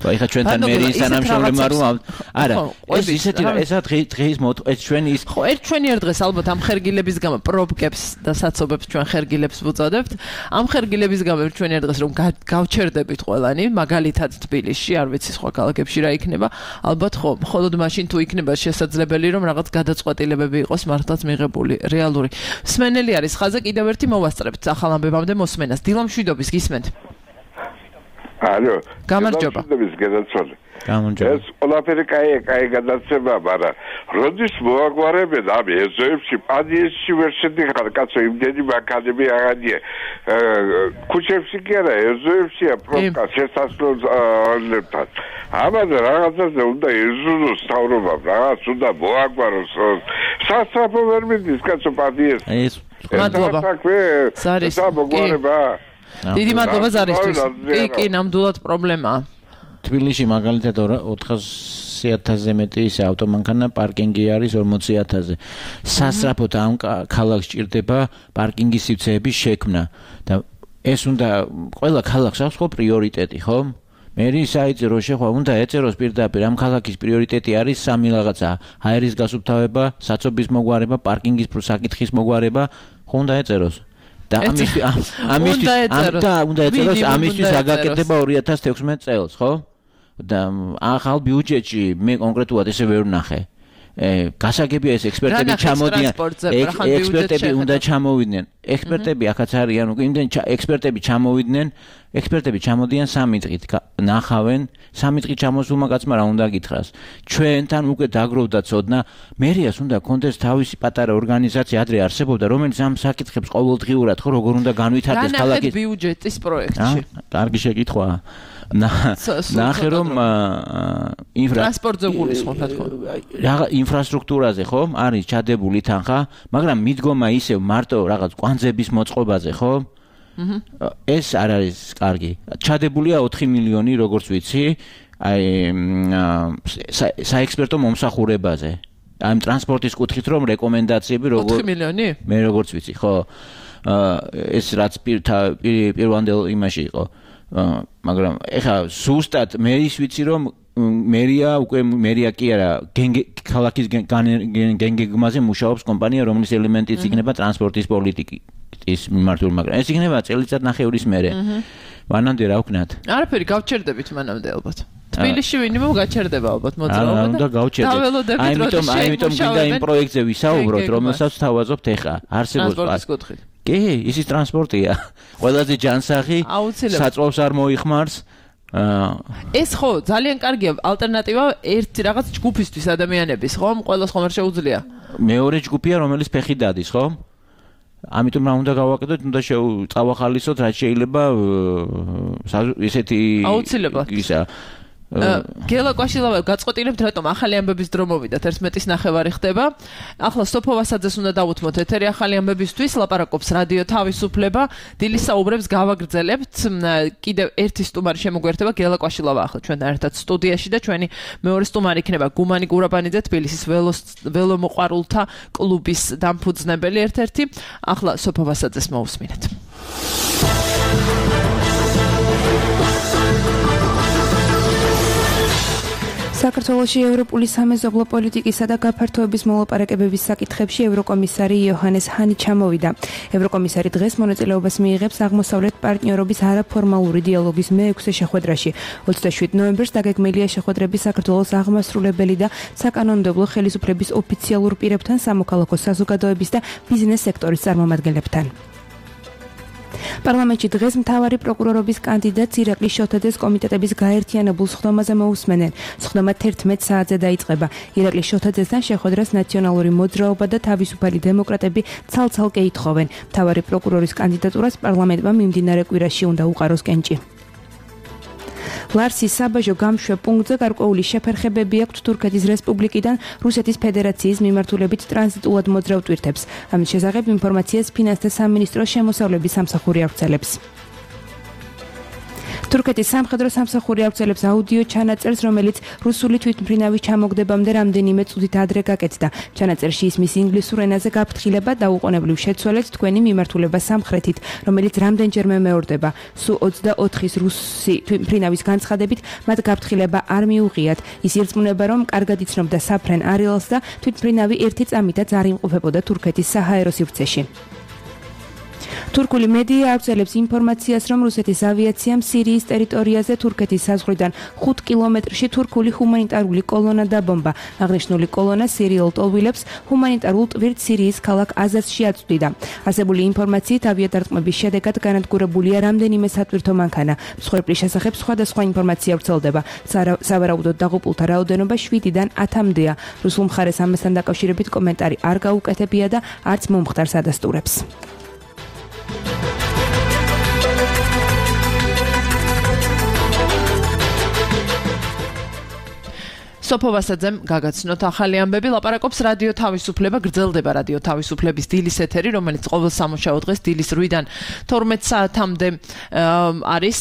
რა ეხა ჩვენთან მერიის თანამშრომლებმა რომ არა ეს ისეთი ესა დღის მოთ ეს ჩვენი ის ხო ერთ ჩვენი ერთ დღეს ალბათ ამ ხერგილების გამო პრობკებს და საცობებს ჩვენ ხერგილებს ვუწოდებთ. ამ ხერგილების გამო ერთ ჩვენი ერთ დღეს რომ გავჩერდებით ყველანი მაგალითად თბილისში არ ვიცი სხვა ქალაქებში რა იქნება ალბათ ხო მხოლოდ მაშინ თუ იქნება შესაძლებელი რომ რაღაც გადაწყვეტილებები იყოს მართლაც მიღებული რეალური. მსმენელი არის ხაზზე კიდევ ერთი მოვასწრებთ ახალ ამბებამდე მოსმენას. დილამშვიდობის გისმენთ. ალო, გამარჯობა. გამარჯობა. ეს ყველაფერი კაი, კაი გადაცემა, მაგრამ როდის მოაგვარებენ ამ ეზოებში, პადიესში ვერ შედიხარ, კაცო, იმდენი მანქანები აღადია. ქუჩებში კი არა, ეზოებშია პრობკა შესასვლელებთან. ამაზე რაღაცაზე უნდა ეზუზოს თავრობამ, რაღაც უნდა მოაგვაროს. სასწრაფო ვერ მიდის, კაცო, პადიეს. ეს მადლობა. სარის. სამოგვარება. დიდი მადლობა ზარისთვის. კი, კი, ნამდვილად პრობლემაა. თბილისში მაგალითად ოთხასი ათასზე მეტი ის ავტომანქანა პარკინგი არის ორმოცი ათასზე. სასწრაფოდ ამ ქალაქს ჭირდება პარკინგის სივრცეების შექმნა და ეს უნდა ყველა ქალაქს აქვს ხო პრიორიტეტი, ხო? მერი საიწერო შეხვა უნდა ეწეროს პირდაპირ ამ ქალაქის პრიორიტეტი არის სამი რაღაცა: აერის გასუფთავება, საცობის მოგვარება, პარკინგის საკითხის მოგვარება, ხო უნდა ეწეროს. და ამისთვის ამისთვის და უნდა ეწეროს ამისთვის აგაკეთება ორი ათას თექვსმეტ წელს, ხო? და ახალ ბიუჯეტში მე კონკრეტულად ესე ვერ ვნახე. გასაგებია ეს ექსპერტები ჩამოდიან. ექსპერტები უნდა ჩამოვიდნენ. ექსპერტები ახაც არიან უკვე იმდენ ექსპერტები ჩამოვიდნენ. ექსპერტები ჩამოდიან სამი დღით. ნახავენ სამი დღით ჩამოსულმა კაცმა რა უნდა გითხრას. ჩვენთან უკვე დაგროვდა ცოდნა. მერიას უნდა კონდეს თავისი პატარა ორგანიზაცია ადრე არსებობდა, რომელიც ამ საკითხებს ყოველდღიურად ხო როგორ უნდა განვითარდეს ქალაქის ბიუჯეტის პროექტში. კარგი შეკითხვაა. ნახე რომ ტრანსპორტზე გულისხმობ თქო. რაღა ინფრასტრუქტურაზე ხო არის ჩადებული თანხა, მაგრამ მიდგომა ისევ მარტო რაღაც კვანძების მოწყობაზე ხო? ეს არ არის კარგი. ჩადებულია ოთხი მილიონი როგორც ვიცი, აი საექსპერტო მომსახურებაზე. აი ტრანსპორტის კუთხით რომ რეკომენდაციები როგორ ოთხი მილიონი? მე როგორც ვიცი, ხო. ეს რაც პირვანდელ იმაში იყო. მაგრამ ეხა ზუსტად მე ის ვიცი რომ მერია უკვე მერია კი არა ქალაქის გენგეგმაზე მუშაობს კომპანია რომელიც ელემენტიც იქნება ტრანსპორტის პოლიტიკის მიმართული მაგრამ ეს იქნება წელიწად ნახევრის მერე მანამდე რა ვქნათ არაფერი გავჩერდებით მანამდე ალბათ თბილისში ვინმე გაჩერდება ალბათ მოძრაობა და უნდა გავჩერდეთ აიმიტომ აიმიტომ გინდა იმ პროექტზე ვისაუბროთ რომელსაც თავაზობთ ეხა არსებობს ტრანსპორტის კუთხით კი, ისის ტრანსპორტია. ყველაზე ჯანსაღი, საწვავს არ მოიხმარს. ეს ხო, ძალიან კარგია ალტერნატივა ერთი რაღაც ჯგუფისთვის ადამიანების, ხო? ყველას ხომ არ შეუძლია. მეორე ჯგუფია, რომელიც ფეხი დადის, ხო? ამიტომ რა უნდა გავაკეთოთ, უნდა წავახალისოთ, რაც შეიძლება ესეთი აუცილებლად. ისა გელა კვაშილავა გაწყვეტილებთ რატომ ახალი ამბების დრო მოვიდათ ერთმეტის ნახევარი ხდება ახლა სოფო ვასაძეს უნდა დავუთმოთ ეთერი ახალი ამბებისთვის ლაპარაკობს რადიო თავისუფლება დილის საუბრებს გავაგრძელებთ კიდევ ერთი სტუმარი შემოგვერთება გელა კვაშილავა ახლა ჩვენთან ერთად სტუდიაში და ჩვენი მეორე სტუმარი იქნება გუმანი გურაბანიძე თბილისის ველომოყვარულთა კლუბის დამფუძნებელი ერთ-ერთი ახლა სოფო ვასაძეს მოусმინეთ საქართველოში ევროპული სამეზობლო პოლიტიკისა და გაფართოების მოლაპარაკებების საკითხებში ევროკომისარი იოჰანეს ჰანი ჩამოვიდა. ევროკომისარი დღეს მონაწილეობას მიიღებს აღმოსავლეთ პარტნიორობის არაფორმალური დიალოგის მეექვსე შეხვედრაში. ოცდაშვიდ ნოემბერს დაგეგმილია შეხვედრები საქართველოს აღმასრულებელი და საკანონმდებლო ხელისუფლების ოფიციალურ პირებთან, სამოქალაქო საზოგადოების და ბიზნეს სექტორის წარმომადგენლებთან. პარლამენტში დღეს მთავარი პროკურორობის კანდიდატს ირაკლი შოთაძეს კომიტეტების გაერთიანებულ სხდომაზე მოусმენენ. სხდომა თერთმეტ საათზე დაიწყება. ირაკლი შოთაძესთან შეხვედრას ნაციონალური მოძრაობა და თავისუფალი დემოკრატები ცალ-ცალკე ითხოვენ. მთავარი პროკურორის კანდიდატურას პარლამენტმა მიმდინარე კვირაში უნდა უყაროს კენჭი. ლარსის საბაჟო გამშვე პუნქტზე გარკვეული შეფერხებები აქვთ თურქეთის რესპუბლიკიდან რუსეთის ფედერაციის მიმართულებით ტრანზიტულად მოძრავ ტვირთებს. ამის შესახებ ინფორმაციას ფინანსთა სამინისტროს შემოსავლების სამსახური ავრცელებს. თურქეთის სამხედრო სამსახური ავრცელებს აუდიო ჩანაწერს, რომელიც რუსული თვითმფრინავის ჩამოგდებამდე რამდენიმე წუთით ადრე გაკეთდა. ჩანაწერში ისმის ინგლისურ ენაზე გაფრთხილება დაუყოვნებლივ შეცვალეთ თქვენი მიმართულება სამხრეთით, რომელიც რამდენჯერმე მეორდება. სუ ოცდაოთხის რუსი თვითმფრინავის განცხადებით მათ გაფრთხილება არ მიუღიათ. ის ირწმუნება, რომ კარგად იცნობდა საფრენ არეალს და თვითმფრინავი ერთი წამითაც არ იმყოფებოდა თურქეთის საჰაერო სივრცეში. თურქული მედია ავრცელებს ინფორმაციას, რომ რუსეთის ავიაციამ სირიის ტერიტორიაზე თურქეთის საზღვრიდან ხუთ კილომეტრში თურქული ჰუმანიტარული კოლონა დაბომბა. აღნიშნული კოლონა სირიულ ტოვილებს ჰუმანიტარულ ტვირთ სირიის ქალაქ აზაზში აწვდიდა. არსებული ინფორმაციით ავიადარტყმების შედეგად განადგურებულია რამდენიმე სატვირთო მანქანა. მსხვერპლის შესახებ სხვადასხვა ინფორმაცია ვრცელდება. სავარაუდოდ დაღუპულთა რაოდენობა შვიდიდან ათამდეა. რუსულ მხარეს ამასთან დაკავშირებით კომენტარი არ გაუკეთებია და არც მომხდარს ადასტურებს. სოფო ვასაძემ გაგაცნოთ ახალი ამბები. ლაპარაკობს რადიო თავისუფლება. გრძელდება რადიო თავისუფლების დილის ეთერი, რომელიც ყოველ სამუშაო დღეს დილის რვიდან თორმეტ საათამდე არის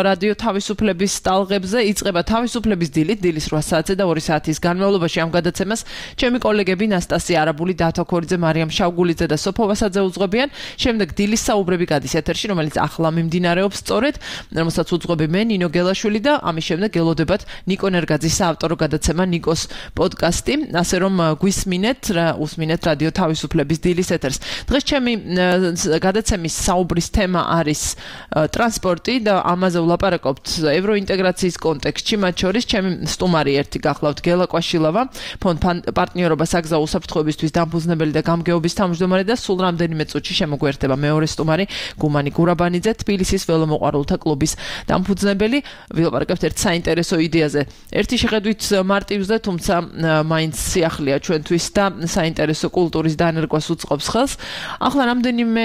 რადიო თავისუფლების ტალღებზე. იწყება თავისუფლების დილით, დილის რვა საათზე და ორი საათის განმავლობაში ამ გადაცემას ჩემი კოლეგები ნასტასია არაბული, დათო ქორიძე, მარიამ შავგულიძე და სოფო ვასაძე უძღვებიან. შემდეგ დილის საუბრები გადის ეთერში, რომელიც ახლა მიმდინარეობს სწორედ, რომელსაც უძღვები მე, ნინო გელაშვილი და ამის შემდეგ ელოდებათ ნიკო ნერგაძის საავტორო გადაცემა ნიკოს პოდკასტი, ასე რომ გვისმინეთ, უსმინეთ რადიო თავისუფლების დილის ეთერს. დღეს ჩემი გადაცემის საუბრის თემა არის ტრანსპორტი და ამაზე ვლაპარაკობთ ევროინტეგრაციის კონტექსტში, მათ შორის ჩემი სტუმარი ერთი გახლავთ გელა კვაშილავა, ფონდ პარტნიორობა საგზაო უსაფრთხოებისთვის დამფუძნებელი და გამგეობის თავმჯდომარე და სულ რამდენიმე წუთში შემოგვერთება მეორე სტუმარი გუმანი გურაბანიძე, თბილისის ველომოყვარულთა კლუბის დამფუძნებელი. ვილაპარაკებთ ერთ საინტერესო იდეაზე. ერთი შეხედვით მარტივზე, თუმცა მაინც სიახლეა ჩვენთვის და საინტერესო კულტურის დანერგვას უწყობს ხელს. ახლა რამდენიმე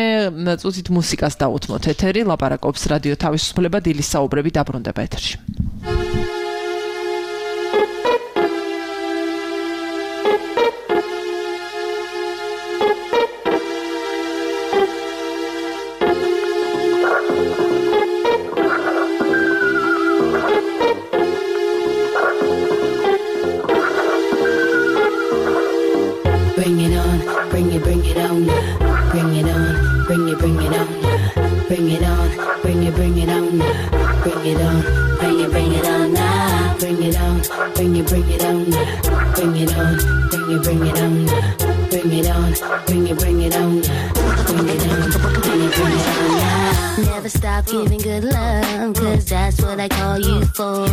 წუთით მუსიკას დაუთმოთ ეთერი, ლაპარაკობს რადიო თავისუფლება, დილის საუბრები დაბრუნდება ეთერში. Bring it on, bring it, bring it on, bring it on, bring it, bring it on, bring it on, bring it, bring it on, bring it on, bring it, bring it on now, bring it on, bring it, bring it on, bring it on, bring it, bring it on, bring it on, bring it, bring it on, bring it on, bring it, bring it on now. Never stop giving good love, cause that's what I call you for.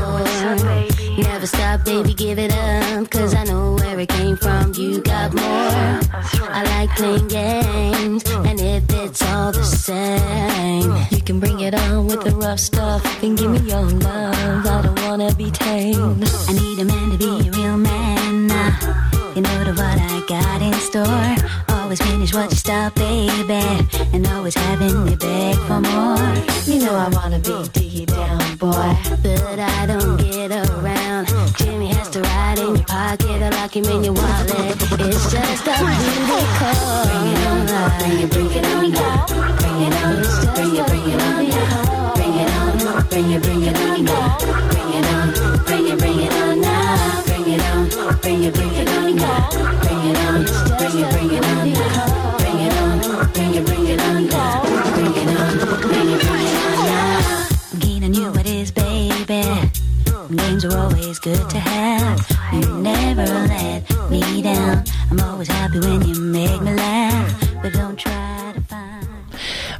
Never stop, baby, give it up, cause I know where it came from, you got more. I like playing games, and if it's all the same, you can bring it on with the rough stuff, and give me your love, I don't wanna be tamed. I need a man to be a real man, you know the what I got in store. Always finish what you start, baby, and always having me beg for more. You know I wanna be deep down, boy, but I don't get around. Jimmy has to ride in your pocket, I lock him in your wallet. It's just a booty call. Bring it on, bring it, bring it on, bring it on, bring it, bring it on, bring it on, bring it, bring it on, bring it on, bring it, bring it on now, bring it on, bring it, bring it on, bring it on, bring it, bring it on, bring it on, bring it, bring it on, bring it on, bring it, bring it on now. Gina knew what is, baby. Names are always good to have. You never let me down. I'm always happy when you make me laugh, but don't try to find.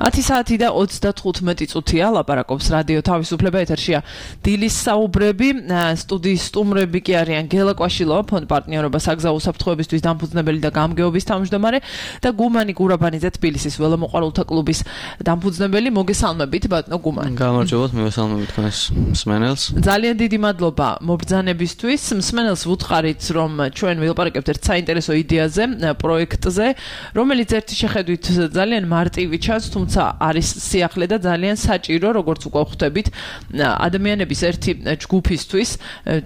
ათი საათი და ოცდათხუთმეტი წუთია ლაპარაკობს რადიო თავისუფლება ეთერშია დილის საუბრები სტუდიის სტუმრები კი არიან გელა კვაშილოვა ფონდ პარტნიორობა საგზაო უსაფრთხოებისთვის დამფუძნებელი და გამგეობის თავმჯდომარე და გუმანი გურაბანიძე თბილისის ველომოყვარულთა კლუბის დამფუძნებელი მოგესალმებით ბატონო გუმანი გამარჯობათ მივესალმებით თქვენს მსმენელს ძალიან დიდი მადლობა მობრძანებისთვის მსმენელს ვუთხარით რომ ჩვენ ვილაპარაკებთ ერთ საინტერესო იდეაზე პროექტზე რომელიც ერთი შეხედვით ძალიან მარტივი ჩანს თუმცა არის სიახლე და ძალიან საჭირო როგორც უკვე ხვდებით ადამიანების ერთი ჯგუფისთვის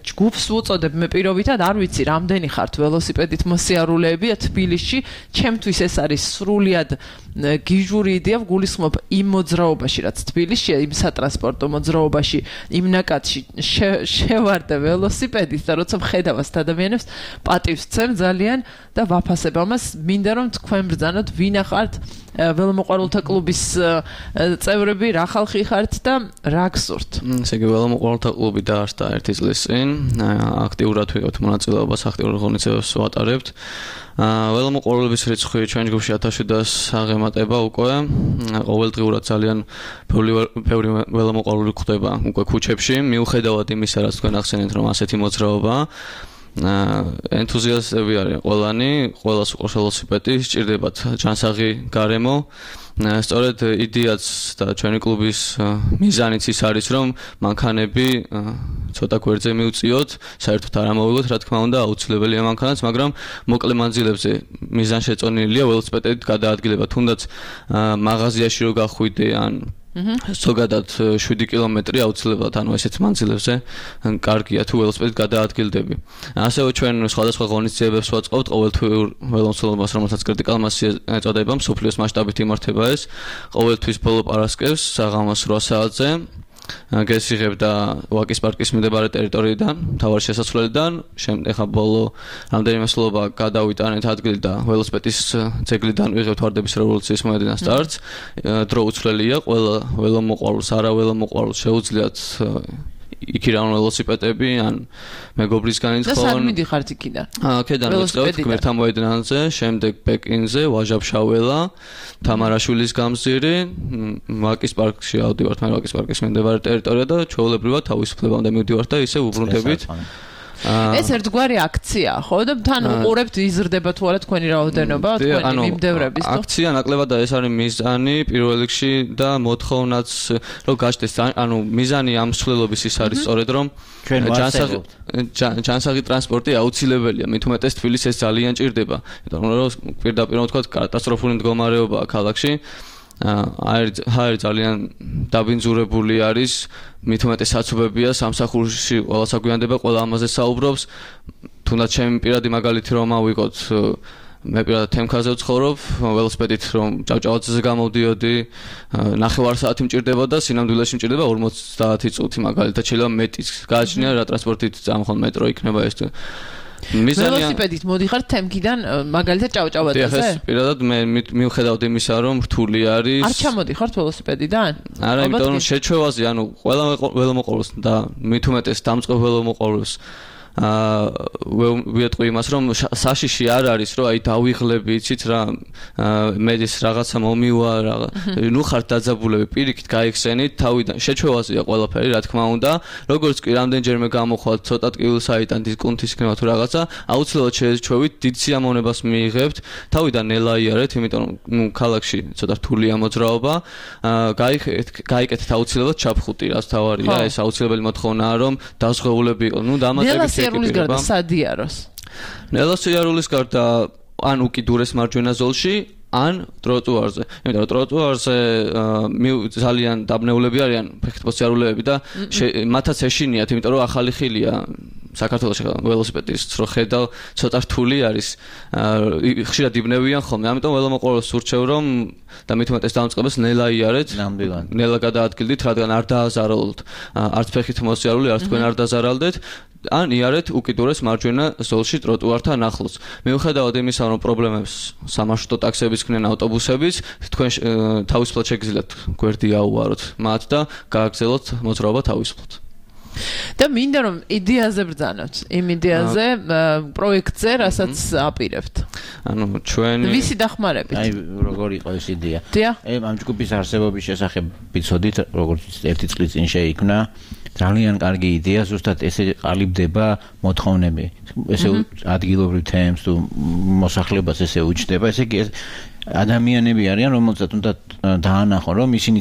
ჯგუფს უწოდებ მე პირობითად არ ვიცი რამდენი ხართ ველოსიპედით მოსიარულეები თბილისში ჩემთვის ეს არის სრულიად გიჟური იდეა გულისხმობ იმ მოძრაობაში რაც თბილისშია იმ სატრანსპორტო მოძრაობაში იმ ნაკადში შევარდე ველოსიპედით და როცა მხედავ ასეთ ადამიანებს პატივს ვცემ ძალიან და ვაფასებ ამას მინდა რომ თქვენ ბრძანოთ ვინ ახართ ველომოყვარულთა კლუბის წევრები რა ხალხი ხართ და რა გსურთ ესე იგი ველომოყვარულთა კლუბი დაარსდა ერთი წლის წინ აქტიურად ვიღებთ მონაწილეობას აქტიურ ღონისძიებებს ვატარებთ ველომოყვარულების რიცხვი ჩვენ ჯგუფში ათას შვიდას აღემატება უკვე ყოველდღიურად ძალიან ბევრი ველომოყვარული გვხვდება უკვე ქუჩებში მიუხედავად იმისა რაც თქვენ ახსენეთ რომ ასეთი მოძრაობაა ენთუზიასტები არიან ყველანი, ყველას უყვარს ველოსიპედი, სჭირდებათ ჯანსაღი გარემო. სწორედ იდეაც და ჩვენი კლუბის მიზანიც ის არის, რომ მანქანები ცოტა გვერდზე მივწიოთ, საერთოდ არ ამოვიღოთ, რა თქმა უნდა, აუცილებელია მანქანაც, მაგრამ მოკლე მანძილებზე მიზანშეწონილია ველოსიპედით გადაადგილება, თუნდაც მაღაზიაში რო გახვიდე ან ზოგადად შვიდი კილომეტრი აუცილებლად ანუ ესეთ მანძილებზე კარგია თუ ველოსიპედით გადაადგილდები. ასევე ჩვენ სხვადასხვა ღონისძიებებს ვაწყობთ ყოველთვიურ ველომსხმელობას, რომელსაც კრიტიკალ მასი ეწოდება, მსოფლიოს მასშტაბით იმართება ეს ყოველთვის ბოლო პარასკევს საღამოს რვა საათზე. გესიღებდა ვაკის პარკის მიმდებარე ტერიტორიიდან, მთავარი შესასვლელიდან, შემდეგ ხა ბოლო რამდენიმე სლობა გადავიტანეთ ადგილი და ველოსიპედის ძეგლიდან ვიღებთ ვარდების რევოლუციის მოედნიდან სტარტს. დრო უცვლელია, ყველა ველომოყვარულს, არა ველომოყვარულს შეუძლიათ იქიდან ველოსიპედები ან მეგობრისგან ითხოვონ. და სად მიდიხართ იქიდან? აქედან ვიწყებთ გმირთა მოედნზე, შემდეგ პეკინზე, ვაჟა-ფშაველა, თამარაშვილის გამზირი, ვაკის პარკში ავდივართ, მე ვაკის პარკის მიმდებარე ტერიტორია და ჩვეულებრივად თავისუფლებამდე მივდივართ და ისე უბრუნდებით. ეს ერთგვარი აქციაა, ხო? და თან უყურებთ იზრდება თუ არა თქვენი რაოდენობა, თქვენი მიმდევრების, ხო? აქცია ნაკლებად და ეს არის მიზანი პირველ რიგში და მოთხოვნაც რომ გაჩნდეს, ანუ მიზანი ამ მსვლელობის ის არის სწორედ რომ ჯანსაღი ჯანსაღი ტრანსპორტი აუცილებელია, მით უმეტეს თბილისს ეს ძალიან ჭირდება, იმიტომ რომ პირდაპირ ვთქვა კატასტროფული მდგომარეობაა ქალაქში. არის ძალიან დაბინძურებული არის მით უმეტეს საცობებია სამსახურში ყველა საგვიანდება ყველა ამაზე საუბრობს თუნდაც ჩემი პირადი მაგალითი რომ ავიღოთ მე პირადად თემქაზე ვცხოვრობ ველოსიპედით რომ ჭავჭავაძეზე გამოვდიოდი ნახევარ საათი მჭირდება და სინამდვილეში მჭირდება ორმოცდაათი წუთი მაგალითად შეიძლება მეტიც გააჩნია რა ტრანსპორტით წამხვალ მეტრო იქნება ეს ველოსიპედით მოდიხარ თემკიდან მაგალითად ჭავჭავაძეზე? ეს პირადად მე მივხედავთ იმისა რომ რთული არის. არ ჩამოდიხართ ველოსიპედიდან? არა, იმიტომ რომ შეჩვევაზე, ანუ ყველა ველომოყვარულს და მით უმეტეს დამწყებ ველომოყვარულს აა ვიეტყვი იმას რომ საშიში არ არის რომ აი დავიღლები იცით რა მედის რაღაცა მომივა რაღა ნუ ხართ დაძაბულები პირიქით გაიხსენით თავიდან შეჩვევაზეა ყველაფერი რა თქმა უნდა როგორც კი რამდენჯერმე გამოხვალთ ცოტა ტკივილ საიტან დისკუნთის ქნება თუ რაღაცა აუცილებლად შეეჩვევით დიდ სიამოვნებას მიიღებთ თავიდან ნელაიარეთ იმიტომ რომ ნუ ქალაქში ცოტა რთულია მოძრაობა გაიკეთეთ აუცილებლად ჩაფხუტი რაც თავარია ეს აუცილებელი მოთხოვნაა რომ დაზღვეულები იყო ნუ დამატებით სიარულის გარდა სადიაროს. ნელა სიარულის გარდა ან უკიდურეს მარჯვენა ზოლში, ან ტროტუარზე. იმიტომ რომ ტროტუარზე ძალიან დაბნეულები არიან ფეხით მოსიარულეები და მათაც ეშინიათ, იმიტომ რომ ახალი ხილია საქართველოში ველოსიპედის რო ხედავ ცოტა რთული არის. ხშირად იბნევიან ხოლმე. ამიტომ ველომოყვარულს ვურჩევ რომ და მით უმეტეს დამწყებას ნელაიარეთ. ნელა გადაადგილდით, რადგან არ დააზარალოთ არც ფეხით მოსიარული, არც თქვენ არ დაზარალდეთ. ან იარეთ უკიდურეს მარჯვენა ზოლში ტროტუართან ახლოს. მიუხედავად იმისა, რომ პრობლემებს სამარშრუტო ტაქსების ქნენ ავტობუსების, თქვენ თავისუფლად შეგიძლიათ გვერდი აუვაროთ მათ და გააგრძელოთ მოძრაობა თავისუფლად. და მინდა რომ იდეაზე ბრძანოთ, იმ იდეაზე პროექტზე, რასაც აპირებთ. ანუ ჩვენი ვისი დახმარებით? აი როგორ იყო ეს იდეა? დიახ. აი ამ ჯგუფის არსებობის შესახებ ვიცოდით, როგორც ერთი წლის წინ შეიქმნა. ძალიან კარგი იდეა, ზუსტად ესე ყალიბდება მოთხოვნები. ესე ადგილობრივ თემს თუ მოსახლეობას ესე უჩნდება, ესე იგი ადამიანები არიან, რომელსაც უნდა დაანახონ, რომ ისინი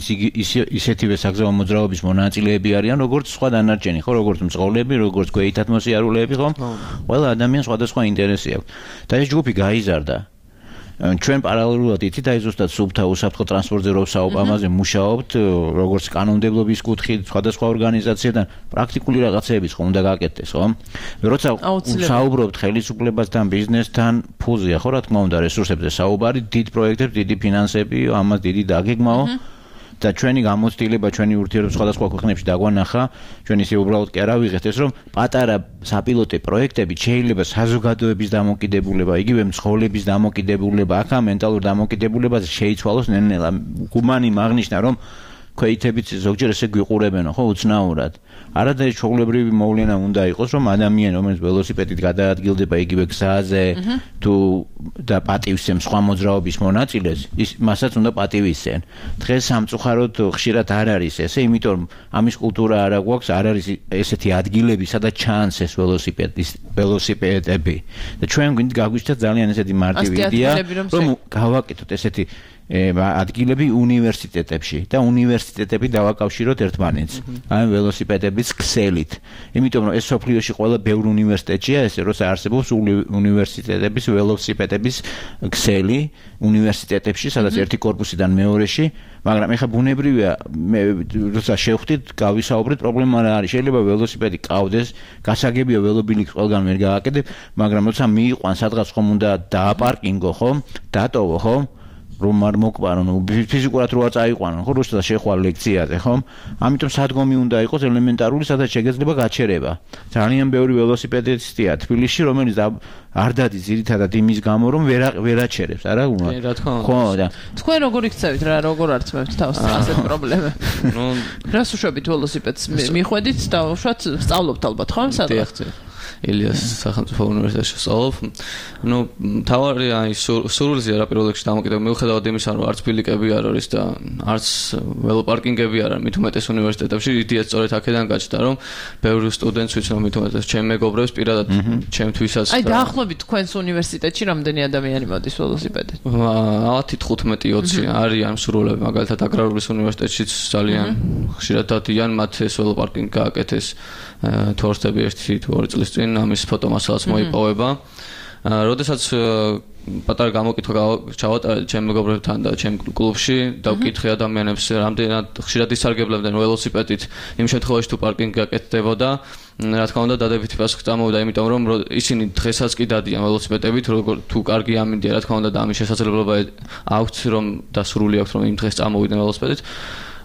ისეთივე საგზაო მოძრაობის მონაწილეები არიან, როგორც სხვა დანარჩენი, ხო, როგორც მწყოვლები, როგორც გვეითად მოსიარულეები, ხო? ყველა ადამიანს სხვადასხვა ინტერესი აქვს. და ეს ჯგუფი გაიზარდა. ჩვენ პარალელურად იცით აი ზუსტად სუბთა უსაფრთხო ტრანსპორტზე რო საუბამაზე მუშაობთ, როგორც კანონმდებლობის კუთხით, სხვადასხვა ორგანიზაციებთან პრაქტიკული რაღაცეების ხომ უნდა გაკეთდეს, ხო? როცა საუბრობთ ხელისუფლებასთან, ბიზნესთან, ფულზეა, ხო, რა თქმა უნდა, რესურსებზე საუბარი, დიდ პროექტებს, დიდი ფინანსები, ამას დიდი დაგეგმაო. და ჩვენი გამოცდილება, ჩვენი ურთიერთობა სხვადასხვა ქვეყნებში დაგვანახა, ჩვენ ისე უბრალოდ კი არა ვიღეთ ეს, რომ პატარა საპილოტე პროექტები შეიძლება საზოგადოების დამოკიდებულება, იგივე მცხოვრების დამოკიდებულება, აქა მენტალურ დამოკიდებულებაზე შეიცვალოს ნელ-ნელა. გუმანი მაგნიშნა, რომ ქვეითებიც ზოგჯერ ესე გვიყურებენო, ხო, უცნაურად. არადა ჩვეულებრივი მოვლენა უნდა იყოს, რომ ადამიანი, რომელიც ველოსიპედით გადაადგილდება იგივე გზაზე თუ და პატივისცემს სხვა მოძრაობის მონაწილეს, ის მასაც უნდა პატივისცენ. დღეს სამწუხაროდ ხშირად არ არის ესე, იმიტომ რომ ამის კულტურა არ აქვს, არ არის ესეთი ადგილები, სადაც ჩანს ეს ველოსიპედის ველოსიპედები. და ჩვენ გვინდა გაგვიჩნდა ძალიან ესეთი მარტივი იდეა, რომ გავაკეთოთ ესეთი ადგილები უნივერსიტეტებში და უნივერსიტეტები დავაკავშიროთ ერთმანეთს. აი ველოსიპედების ქსელით. იმიტომ რომ ეს სოფლიოში ყველა ბევრ უნივერსიტეტია, ესე როცა არსებობს უნივერსიტეტების ველოსიპედების ქსელი უნივერსიტეტებში, სადაც ერთი კორპუსიდან მეორეში, მაგრამ ეხლა ბუნებრივია, მე როცა შევხვდით, გავისაუბრეთ, პრობლემა რა არის. შეიძლება ველოსიპედი ყავდეს, გასაგებია ველობილიქს ყველგან ვერ გააკეთებ, მაგრამ როცა მიიყვან სადღაც ხომ უნდა დააპარკინგო, ხო? დატოვო, ხო? რომ არ მოკვარონ, ფიზიკურად რო არ წაიყვანონ, ხო, როცა შეხვალ ლექციაზე, ხო? ამიტომ სადგომი უნდა იყოს ელემენტარული, სადაც შეგეძლება გაჩერება. ძალიან ბევრი ველოსიპედისტია თბილისში, რომელიც არ დადის ძირითადად იმის გამო, რომ ვერ ვერ აჩერებს, არა უნდა. რა თქმა უნდა. ხო, და თქვენ როგორ იქცევით რა, როგორ არწმევთ თავს ასეთ პრობლემებს? ნუ რას უშვებით ველოსიპედს მიხვედით და უშუალოდ სწავლობთ ალბათ, ხო, სადღაც? ილიას სახელმწიფო უნივერსიტეტში ვსწავლობ. ნუ თავარი აი სურვილზეა რა პირველ რიგში დამოკიდებული, მიუხედავად იმისა, რომ არც ბილიკები არ არის და არც ველოპარკინგები არ არის, მით უმეტეს უნივერსიტეტებში, იდეა სწორედ აქედან გაჩნდა, რომ ბევრი სტუდენტს ვიცნობ, მით უმეტეს ჩემ მეგობრებს პირადად ჩემთვისაც. აი დაახლოებით თქვენს უნივერსიტეტში რამდენი ადამიანი მოდის ველოსიპედით? ათი თხუთმეტი ოცი არიან მსურველები, მაგალითად აგრარულის უნივერსიტეტშიც ძალიან ხშირად დადიან, მათ ეს ველოპარკინგი გააკეთეს თორსტები ერთი თუ ორი წლის წინ ამის ფოტომასალაც მოიპოვება. როდესაც პატარა გამოკითხვა ჩავატარე ჩემ მეგობრებთან და ჩემ კლუბში და ვკითხე ადამიანებს რამდენად ხშირად ისარგებლებდნენ ველოსიპედით იმ შემთხვევაში თუ პარკინგი გაკეთდებოდა. რა თქმა უნდა დადებითი პასუხი წამოვიდა, იმიტომ რომ ისინი დღესაც კი დადიან ველოსიპედებით, როგორ თუ კარგი ამინდია, რა თქმა უნდა და ამის შესაძლებლობა აქვთ, რომ დასრული აქვს, რომ იმ დღეს წამოვიდნენ ველოსიპედით.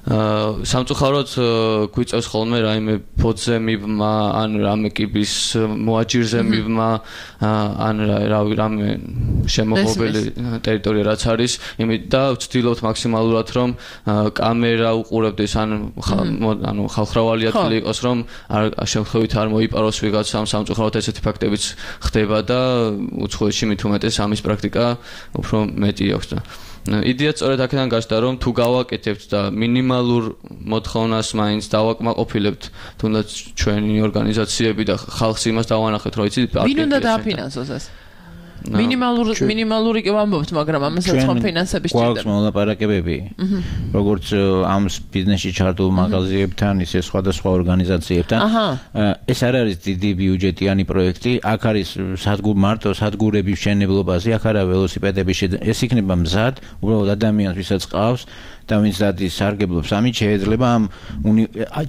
სამწუხაროდ გვიწევს ხოლმე რაიმე ფოთზე მიბმა, ან რამე კიბის მოაჯირზე მიბმა, ან რავი რამე შემოღობილი ტერიტორია რაც არის, იმით და ვცდილობთ მაქსიმალურად რომ კამერა უყურებდეს, ან ანუ ხალხრავალი ადგილი იყოს, რომ არ შემთხვევით არ მოიპაროს ვიღაცამ. სამწუხაროდ ესეთი ფაქტებიც ხდება და უცხოეთში მით უმეტეს ამის პრაქტიკა უფრო მეტი აქვს და იდეა სწორედ აქედან გაჩნდა, რომ თუ გავაკეთებთ და მინიმალურ მოთხოვნას მაინც დავაკმაყოფილებთ, თუნდაც ჩვენი ორგანიზაციები და ხალხს იმას დავანახეთ, რომ იცით, ვინ უნდა დააფინანსოს ეს? მინიმალური მინიმალური კი ვამბობთ, მაგრამ ამასაც ხომ ფინანსები სჭირდება. გვაქვს მოლაპარაკებები, როგორც ამ ბიზნესში ჩართულ მაღაზიებთან, ისე სხვადასხვა ორგანიზაციებთან. ეს არ არის დიდი ბიუჯეტიანი პროექტი, აქ არის სადგურ მარტო სადგურების მშენებლობაზე, აქ არა ველოსიპედების, ეს იქნება მზად, უბრალოდ ადამიანს ვისაც ყავს და ვინც დადის სარგებლობს, ამით შეიძლება ამ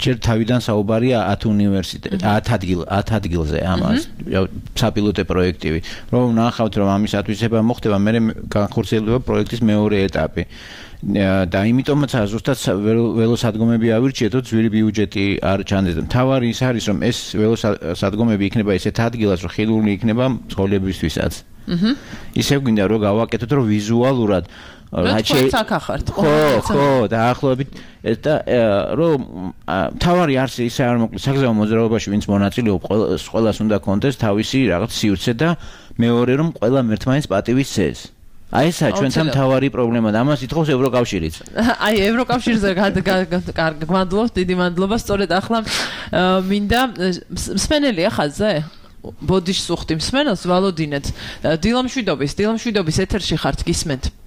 ჯერ თავიდან საუბარია ათ უნივერსიტეტ, ათ ადგილ, ათ ადგილზე ამას საპილოტე პროექტივი. რომ ნახავთ, რომ ამის ათვისება მოხდება, მე განხორციელდება პროექტის მეორე ეტაპი. და იმიტომაც ზუსტად ველოსადგომები ავირჩიეთო, ძვირი ბიუჯეტი არ ჩანდეს. მთავარი ის არის, რომ ეს ველოსადგომები იქნება ისეთ ადგილას, რომ ხილული იქნება მცხოვრებისთვისაც. აჰა. ისე გვინდა რომ გავაკეთოთ რომ ვიზუალურად რაც აქახართ. ხო, ხო, დაახლოებით და რომ თავარი არსი ისე არ მოკლე საგზაო მოძრაობაში ვინც მონაწილეობს ყველას უნდა კონდეს თავისი რაღაც სივრცე და მეორე რომ ყველა მერთმაინს პატივის წეს. აი ესა ჩვენთან თავარი პრობლემა და ამას ითხოვს ევროკავშირიც. აი ევროკავშირზე კარგი გმადლობთ, დიდი მადლობა. სწორედ ახლა მინდა მსმენელია ხაზზე? ბოდიშს უხდი მსმენელს ვალოდინეთ. დილამშვიდობის, დილამშვიდობის ეთერში ხართ, გისმენთ.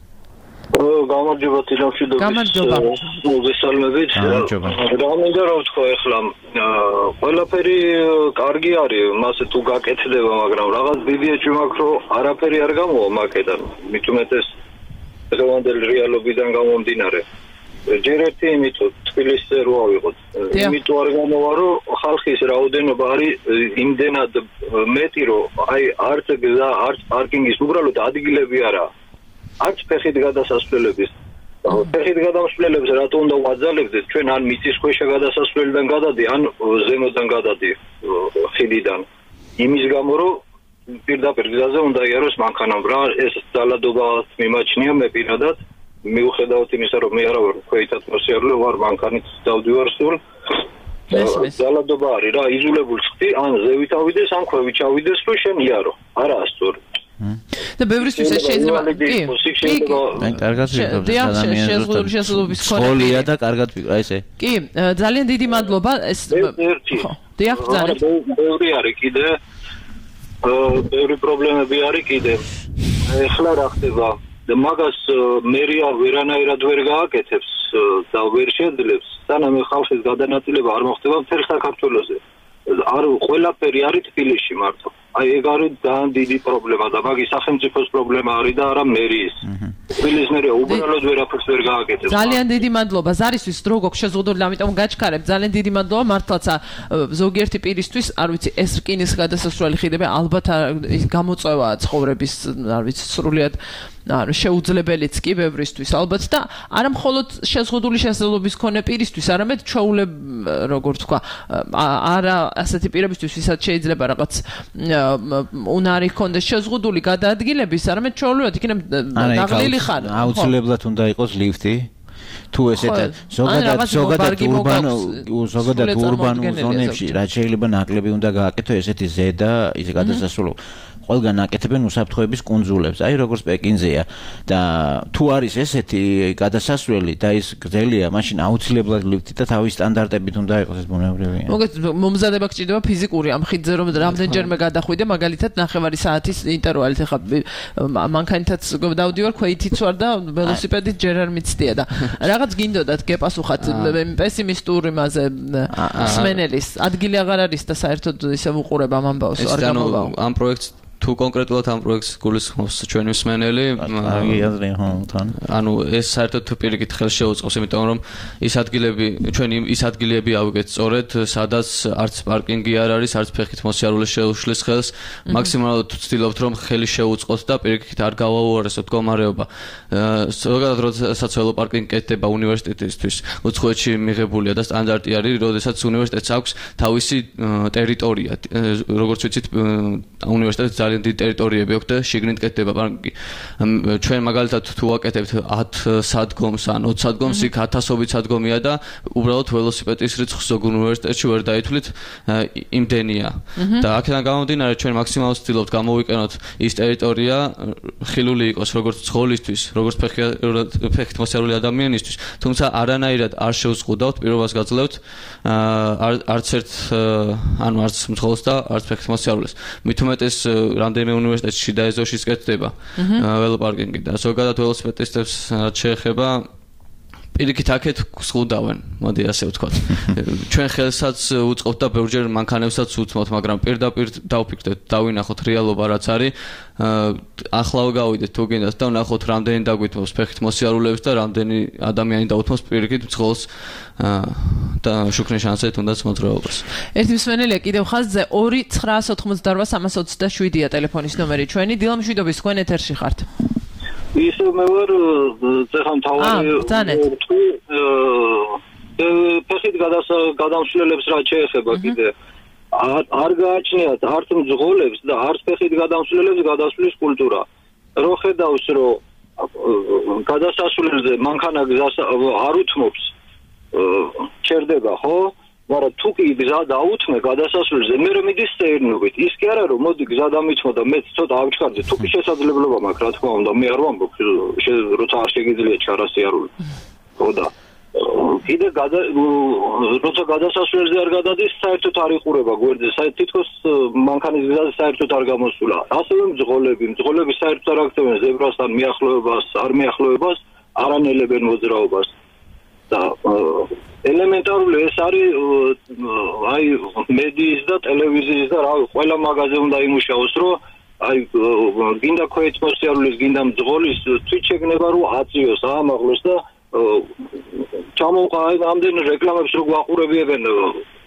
გამარჯობა დილამშვიდობის. გამარჯობა. მოგესალმებით. გამარჯობა. რა მინდა რომ ვთქვა ახლა ყველაფერი კარგი არის, მასე თუ გაკეთდება, მაგრამ რაღაც დიდი ეჭვი მაქვს რომ არაფერი არ გამოვა მაკედან. მით უმეტეს დღევანდელი რეალობიდან გამომდინარე. ჯერ ერთი იმიტომ თბილისზე რო ავიღოთ. იმიტომ არ გამოვა რომ ხალხის რაოდენობა არის იმდენად მეტი რომ აი არც გზა, არც პარკინგის უბრალოდ ადგილები არაა. არც ფეხით გადასასვლელების. ფეხით გადასასვლელებს რატო უნდა ვაძალებდეთ? ჩვენ ან მიწისქვეშა გადასასვლელიდან გადადი, ან ზემოდან გადადი ხიდიდან. იმის გამო რომ პირდაპირ გზაზე უნდა იაროს მანქანამ რა ეს ძალადობა მიმაჩნია მე პირადად. მიუხედავად იმისა რომ მე არა ვარ ქვეით ატმოსფერული ვარ მანქანით დავდივარ სულ. ძალადობა არის რა იზოლებული ხდი, ან ზევით ავიდეს, ან ქვევით ჩავიდეს რომ შენ იარო. არაა სწორი. და ბევრისთვის ეს შეიძლება კი მე კარგად ვიყავ ადამიანებს შესაძლებლობის ხოლია და კარგად ვიყავ ესე კი ძალიან დიდი მადლობა ეს დიახ ძალიან ბევრი არის კიდე ბევრი პრობლემები არის კიდე ეხლა რა ხდება და მაგას მერია ვერანაირად ვერ გააკეთებს და ვერ შეძლებს სანამ ხალხის გადანაწილება არ მოხდება მთელ საქართველოზე არ ყველაფერი არის თბილისში მარტო აი ეგ არის ძალიან დიდი პრობლემა და მაგის სახელმწიფოს პრობლემა არის და არა მერიის. თბილისს მერია უბრალოდ ვერაფერს ვერ გააკეთებს. ძალიან დიდი მადლობა. ზარისთვის დრო გოქ შეზღუდული, ამიტომ გაჩქარებ. ძალიან დიდი მადლობა მართლაც ზოგიერთი პირისთვის, არ ვიცი, ეს რკინის გადასასვლელი ხიდები ალბათ გამოწვევაა ცხოვრების, არ ვიცი, სრულიად ანუ შეუძლებელიც კი ბევრისთვის ალბათ და არა მხოლოდ შეზღუდული შესაძლებლობის მქონე პირისთვის, არამედ ჩვეულებ როგორ თქვა, არა ასეთი პირებისთვის, ვისაც შეიძლება რაღაც უნარი ჰქონდეს შეზღუდული გადაადგილების, არამედ ჩვეულებრივად იქნებ დაღლილი ხარ. აუცილებლად უნდა იყოს ლიფტი. თუ ესეთა ზოგადად ზოგადად ურბანო ზოგადად ურბანულ ზონებში რაც შეიძლება ნაკლები უნდა გააკეთო ესეთი ზედა ის გადასასვლელი ყველგან აკეთებენ უსაფრთხოების კუნძულებს. აი როგორც პეკინზეა და თუ არის ესეთი გადასასვლელი და ის გრძელია, მაშინ აუცილებლად ლიფტი და თავის სტანდარტებით უნდა იყოს ეს ბუნებრივია. მოგეთ მომზადება გჭირდება ფიზიკური ამ ხიდზე რომ რამდენჯერმე გადახვიდე, მაგალითად ნახევარი საათის ინტერვალით ახლა მანქანითაც დავდივარ, ქვეითიც ვარ და ველოსიპედით ჯერ არ მიცდია და რაღაც გინდოდათ გეპასუხათ პესიმისტური მასე სმენელის ადგილი აღარ არის და საერთოდ ისე ვუყურებ ამ ამბავს არ გამოვა. ამ პროექტს თუ კონკრეტულად ამ პროექტს გულისხმობს ჩვენი მსმენელი ანუ ეს საერთოდ პირიქით ხელს შეუწყობს იმიტომ რომ ის ადგილები ჩვენი ის ადგილები ავიგეთ სწორედ სადაც არც პარკინგი არ არის არც ფეხით მოსიარულე შეუშლის ხელს მაქსიმალურად ვცდილობთ რომ ხელი შეუწყოთ და პირიქით არ გავაუარესოთ მდგომარეობა ზოგადად როდესაც ველოპარკინგი კეთდება უნივერსიტეტისთვის უცხოეთში მიღებულია და სტანდარტი არის როდესაც უნივერსიტეტს აქვს თავისი ტერიტორია როგორც ვიცით უნივერსიტეტს ძალიან დიდი ტერიტორიები აქვს და შიგნით კეთდება პარკინგი. ჩვენ მაგალითად თუ ვაკეთებთ ათ სადგომს ან ოცდაათ სადგომს იქ ათასობით სადგომია და უბრალოდ ველოსიპედის რიცხვს ზოგ უნივერსიტეტში ვერ დაითვლით იმდენია. და აქედან გამომდინარე ჩვენ მაქსიმალურად ვცდილობთ გამოვიყენოთ ის ტერიტორია ხილული იყოს როგორც ცხოვლისთვის, როგორც ფეხით მოსიარული ადამიანისთვის, თუმცა არანაირად არ შევზღუდავთ პირობას გაძლევთ არც ერთ ანუ არც ცხოველს და არც ფეხით მოსიარულეს. მით უმეტეს რამდენიმე უნივერსიტეტში და ეზოში კეთდება ველოპარკინგი და ზოგადად ველოსიპედისტებს შეეხება პირიქით აქეთ გსხუდავენ, მოდი ასე ვთქვათ. ჩვენ ხელსაც უწყობთ და ბევრჯერ მანქანებსაც უთმოთ, მაგრამ პირდაპირ დავფიქრდეთ, დავინახოთ რეალობა რაც არის. ახლა გავიდეთ თუ გინდათ და ვნახოთ რამდენი დაგვითმობს ფეხით მოსიარულეებს და რამდენი ადამიანი დაუთმობს პირიქით მძღოლს და შუქრინ შანსეთ უნდაც მოძრაობას. ერთი მსმენელია კიდევ ხაზზე ორი ცხრაას ოთხმოცდარვა სამას ოცდაშვიდია ტელეფონის ნომერი ჩვენი. დილამშვიდობის თქვენ ეთერში ხართ. ისე მე ვარ ზეხან თავარი ფეხით გადასვლელებს რა შეეხება კიდე არ გააჩნიათ არც მძღოლებს და არც ფეხით გადამსვლელებს გადასვლის კულტურა. რო ხედავს, რომ გადასასვლელზე მანქანა გზას არ უთმობს, ჩერდება, ხო? მაგრამ თუ კი გზა დაუთმე გადასასვლელზე, მე რომ მიდის სეირნობით. ის კი არა რომ მოდი გზა დამითმო და მეც ცოტა ავჩქარდე, თუ კი შესაძლებლობა მაქვს, რა თქმა უნდა, მე არ ვამბობ, როცა არ შეგიძლია ჩარასიარული. ხო და კიდე როცა გადასასვლელზე არ გადადის, საერთოდ არ იყურება გვერდზე, თითქოს მანქანის გზაზე საერთოდ არ გამოსულა. ასევე მძღოლები, მძღოლები საერთოდ არ აქცევენ ზებრასთან მიახლოებას, არ მიახლოებას, არანელებენ მოძრაობას. და ელემენტარული ეს არის აი მედიის და ტელევიზიის და რა ყველა მაგაზე უნდა იმუშაოს, რომ აი გინდა ქოეთმოსიარულის, გინდა მძღოლის თვით შეგნება რომ აწიოს, აამაღლოს და ჩამოყალიბ ამდენ რეკლამებს რო გვაყურებიებენ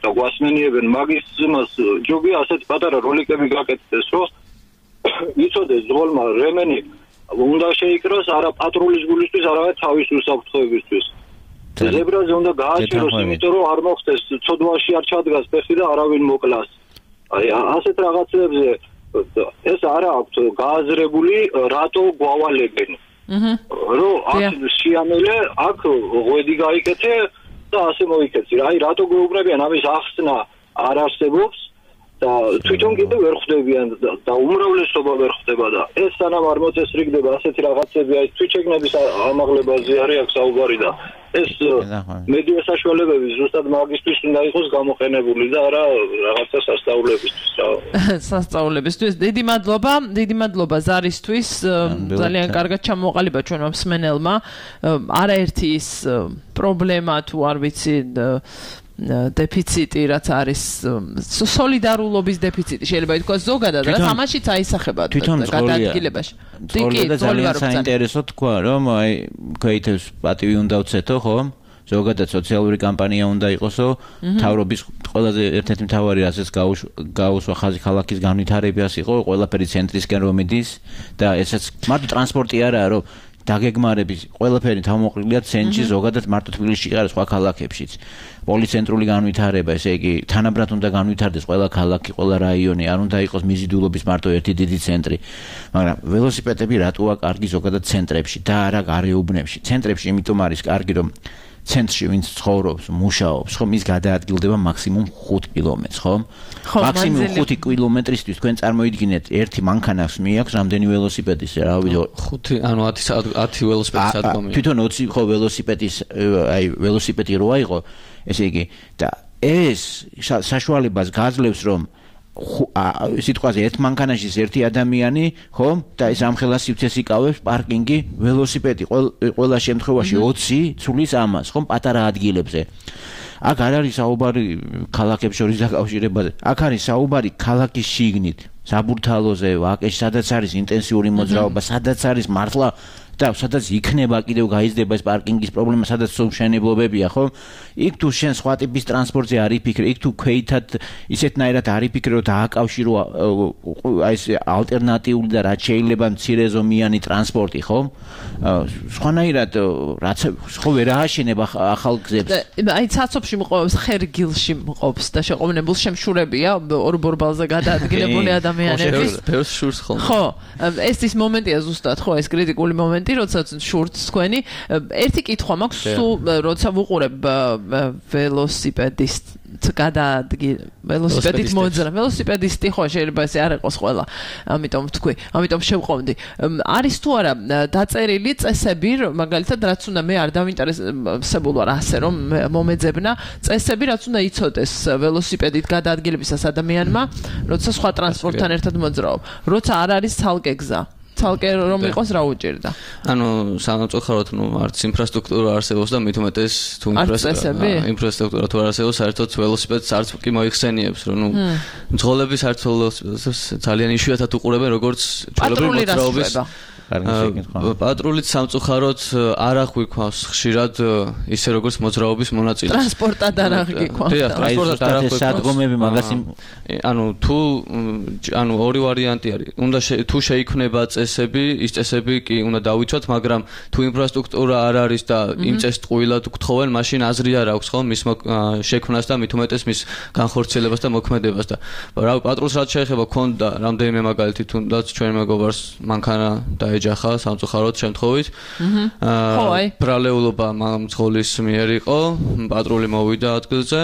და გვასმენიებენ მაგის იმას ჯობია ასეთ პატარა როლიკები გაკეთდეს, რომ იცოდეს ძღოლმა რემენი უნდა შეიკროს არა პატრულის გულისთვის, არამედ თავის უსაფრთხოებისთვის. ზებრაზე უნდა გააჩეროს, იმიტომ რომ არ მოხდეს ცოდვაში არ ჩადგას ფეხი და არავინ მოკლას. აი ასეთ რაღაცებზე ეს არა აქვს გააზრებული, რატო გვავალებენ. რომ აქ შეამელე, აქ ღვედი გაიკეთე და ასე მოიქეცი. აი რატო გვეუბნებიან ამის ახსნა არ არსებობს და თვითონ კიდე ვერ ხვდებიან და უმრავლესობა ვერ ხვდება და ეს სანამ არ მოწესრიგდება ასეთი რაღაცები, აი თვითშეგნების ამაღლებაზე არის აქ საუბარი და ეს მედია საშუალებები ზუსტად მაგისტრის უნდა იყოს გამოყენებული და არა რაღაცა სასწავლებისთვის. სასწავლებისთვის. დიდი მადლობა, დიდი მადლობა ზარისთვის. ძალიან კარგად ჩამოყალიბა ჩვენმა მსმენელმა. არაერთი ის პრობლემა თუ არ ვიცი დეფიციტი რაც არის სოლიდარულობის დეფიციტი შეიძლება ითქვას ზოგადად რაც ამაშიც აისახება გადაადგილებაში. კი, ძალიან საინტერესო თქვა რომ აი ქეითებს პატივი უნდა უცეთო, ხო? ზოგადად სოციალური კამპანია უნდა იყოსო, თავრობის ყველაზე ერთ-ერთი მთავარი რასაც გაუსვა ხაზი ქალაქის განვითარებას იყო, ყველაფერი ცენტრისკენ რომ მიდის და ესაც მარტო ტრანსპორტი არაა, რომ დაგეგმარების ყველაფერი თავმოყრილია ცენტრში, ზოგადად მარტო თბილისში არა, სხვა ქალაქებშიც. პოლიცენტრული განვითარება, ესე იგი, თანაბრად უნდა განვითარდეს ყველა ქალაქი, ყველა რაიონი, არ უნდა იყოს მიზიდულობის მარტო ერთი დიდი ცენტრი. მაგრამ ველოსიპედები რატოა კარგი ზოგადად ცენტრებში და არა გარეუბნებში. ცენტრებში იმიტომ არის კარგი, რომ ცენტრში ვინც ცხოვრობს, მუშაობს, ხო, მის გადაადგილდება მაქსიმუმ ხუთ კილომეტრს, ხო? მაქსიმუმ ხუთი კილომეტრისთვის თქვენ წარმოიდგინეთ, ერთი მანქანას მიაქვს რამდენი ველოსიპედის, რა ვიცი, ხუთი, ანუ ათი ველოსიპედის ადგომია. თვითონ ოცი ხო ველოსიპედის, აი ველოსიპედი როა იყო, ესე იგი, და ეს საშუალებას გაძლევს, რომ სიტყვაზე ერთ მანქანაში ერთი ადამიანი, ხო? და ეს ამხელა სივრცეს იკავებს პარკინგი, ველოსიპედი ყველა შემთხვევაში ოცი ცulis ამას, ხო? პატარა ადგილებზე. აქ არ არის საუბარი ქალაქებს შორის დაკავშირებაზე. აქ არის საუბარი ქალაქის შიგნით, საბურთალოზე, ვაკეში, სადაც არის ინტენსიური მოძრაობა, სადაც არის მართლა და სადაც იქნება კიდევ გაიზრდება ეს პარკინგის პრობლემა, სადაც მშენებლობებია, ხო? იქ თუ შენ სხვა ტიპის ტრანსპორტზე არ იფიქრე, იქ თუ ქვეითად ისეთნაირად არ იფიქრე, რომ დააკავშირო აი ეს ალტერნატიული და რაც შეიძლება მცირეზომიანი ტრანსპორტი, ხო? სხვანაირად რაც ხო ვერ ააშენება ახალ გზებს. აი ცაცობში მყოფს, ხერგილში მყოფს და შეყოვნებულ შემშურებია ორ ბორბალზე გადაადგილებული ადამიანების. ფერს შურს ხოლმე. ხო, ეს ის მომენტია ზუსტად, ხო, ეს კრიტიკული მომენტი როდესაც შურთს თქვენი ერთი კითხვა მაქვს სულ როცა ვუყურებ ველოსიპედისტ გადაადგილ ველოსიპედით მოძრა ველოსიპედისტი ხო შეიძლება ესე არ იყოს ყველა ამიტომ ვთქვი ამიტომ შევყოვდი არის თუ არა დაწერილი წესები მაგალითად რაც უნდა მე არ დავინტერესებულ ვარ ასე რომ მომეძებნა წესები რაც უნდა იცოდეს ველოსიპედით გადაადგილებისას ადამიანმა როცა სხვა ტრანსპორტთან ერთად მოძრაობ როცა არ არის ცალკე გზა ცალკე რომ იყოს რა უჭირდა. ანუ სამწუხაროდ ნუ არც ინფრასტრუქტურა არსებობს და მით უმეტეს თუ ინფრასტრუქტურა თუ არ არსებობს, საერთოდ ველოსიპედს არც კი მოიხსენიებს, რომ ნუ მძღოლები საერთოდ ველოსიპედს ძალიან იშვიათად უყურებენ, როგორც ჩვეულებრივი მოძრაობის პატრულით სამწუხაროდ არ აღვიქვავს ხშირად ისე როგორც მოძრაობის მონაწილეს. ტრანსპორტად არ აღვიქვავს. დიახ, ტრანსპორტად არ აღვიქვავს. სადგომები მაგას ანუ თუ ანუ ორი ვარიანტი არის. უნდა თუ შეიქმნება წესები, ის წესები კი უნდა დავიცვათ, მაგრამ თუ ინფრასტრუქტურა არ არის და იმ წესს ტყუილად გთხოვენ, მაშინ აზრი არ აქვს ხო მის შექმნას და მით უმეტეს მის განხორციელებას და მოქმედებას და რა პატრულს რაც შეეხება ქონდა რამდენიმე მაგალითი თუნდაც ჩვენ მეგობარს მანქანა დაეჯახა სამწუხაროდ შემთხვევით. აა ბრალეულობა მძღოლის მიერ იყო, პატრული მოვიდა ადგილზე,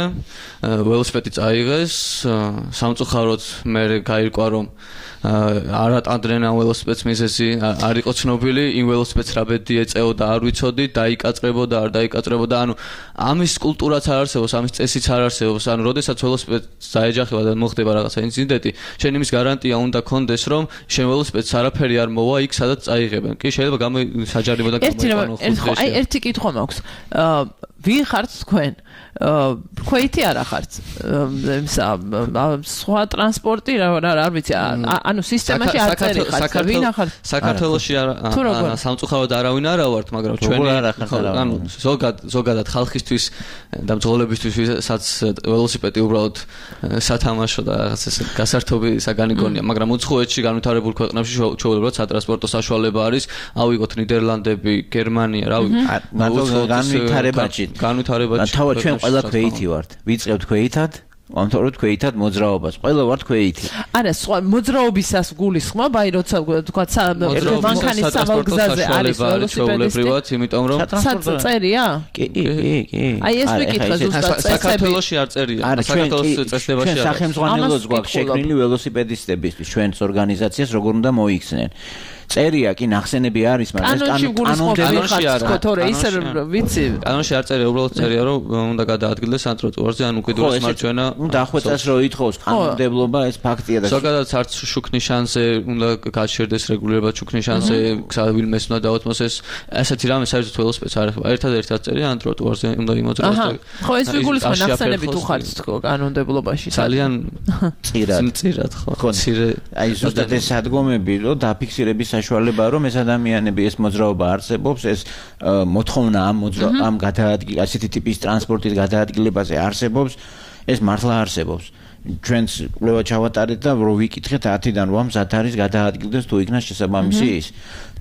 ველოსიპედი წაიღეს, სამწუხაროდ მე გაირკვა რომ არ ატანდნენ ამ ველოსიპედს მიზეზი არ იყო ცნობილი, იმ ველოსიპედს რა ბედი ეწეოდა არ ვიცოდი, დაიკაწრებოდა არ დაიკაწრებოდა, ანუ ამის კულტურაც არ არსებობს, ამის წესიც არ არსებობს, ანუ როდესაც ველოსიპედს დაეჯახება და მოხდება რაღაცა ინციდენტი, შენ იმის გარანტია უნდა კონდეს, რომ შენ ველოსიპედს არაფერი არ მოვა იქ, სადაც წაიღებენ. კი შეიძლება გამო საჯარიმო და გამოიყენო ხუთი. აი ერთი კითხვა მაქვს. ვინ ხართ თქვენ? ქვეითი არა ხართ? სხვა ტრანსპორტი რა არ ვიცი, ანუ სისტემაში არ წერი ხართ. ვინ ხართ? საქართველოში სამწუხაროდ არავინ არა ვართ, მაგრამ ჩვენი ანუ ზოგად ზოგადად ხალხისთვის და მძღოლებისთვის ვისაც ველოსიპედი უბრალოდ სათამაშო და რაღაც ეს გასართობი საგანი გონია, მაგრამ უცხოეთში განვითარებულ ქვეყნებში ჩვეულებრივად სატრანსპორტო საშუალება არის, ავიღოთ ნიდერლანდები, გერმანია, რავი, განვითარებაში განვითარებაში თავად ჩვენ ყველა ქვეითი ვართ. ვიწყებთ ქვეითად, ამთავრებთ ქვეითად მოძრაობას. ყველა ვართ ქვეითი. არა, სხვა მოძრაობისას გულისხმობ, აი როცა თქვა მანქანის სავალგზაზე არის ველოსიპედისტი, იმიტომ რომ წერია? კი, კი, კი. აი ეს მეკითხა ზუსტად წესები. საქართველოში არ წერია. საქართველოს წესდებაში არის. სახელმძღვანელოს გვაქვს შექმნილი ველოსიპედისტებისთვის ჩვენს ორგანიზაციას როგორ უნდა მოიქცნენ. წერია კი ნახსენები არის, მაგრამ ეს კანონში არ არის. თორე ისე ვიცი, კანონში არ წერია, უბრალოდ წერია, რომ უნდა გადაადგილდეს ამ ტროტუარზე, ან უკიდურეს მარჯვენა. უნდა დახვეწას რომ ითხოვს კანონმდებლობა, ეს ფაქტია და ზოგადად არც შუქნის შანსზე უნდა გაჩერდეს რეგულირებად შუქნის შანსზე, ვინმეს უნდა დაუთმოს ეს ასეთი რამე საერთოდ ველოსიპედს არ ეხება. ერთადერთი რაც წერია, ან ტროტუარზე უნდა იმოძრაოს. ხო, ეს ვიგულისხმობ ნახსენები თუ ხართ თქო კანონმდებლობაში. ძალიან წირად. წირად ხო. ცირე. აი ზუსტად ეს სადგომები რომ დაფიქსირების საშუალებაა რომ ეს ადამიანები ეს მოძრაობა არსებობს, ეს მოთხოვნა ამ მოძრაობა ამ გადაადგილ ასეთი ტიპის ტრანსპორტის გადაადგილებაზე არსებობს, ეს მართლა არსებობს. ჩვენს კვლევა ჩავატარეთ და რო ვიკითხეთ ათიდან რვა მზად არის გადაადგილდეს თუ იქნას შესაბამისი ის.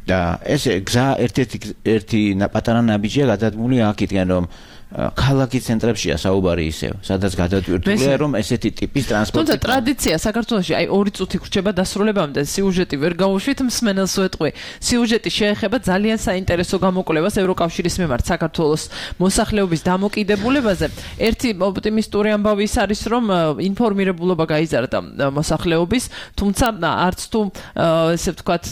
და ეს გზა ერთ-ერთი ერთი პატარა ნაბიჯია გადადგმული აქეთკენ რომ ქალაქის ცენტრებშია საუბარი ისევ, სადაც გადატვირთულია რომ ესეთი ტიპის ტრანსპორტი. თუმცა ტრადიცია საქართველოში აი ორი წუთი გრჩება დასრულებამდე, სიუჟეტი ვერ გავუშვით, მსმენელს ვეტყვი. სიუჟეტი შეეხება ძალიან საინტერესო გამოკვლევას ევროკავშირის მიმართ საქართველოს მოსახლეობის დამოკიდებულებაზე. ერთი ოპტიმისტური ამბავი ის არის, რომ ინფორმირებულობა გაიზარდა მოსახლეობის, თუმცა არც თუ ესე ვთქვათ,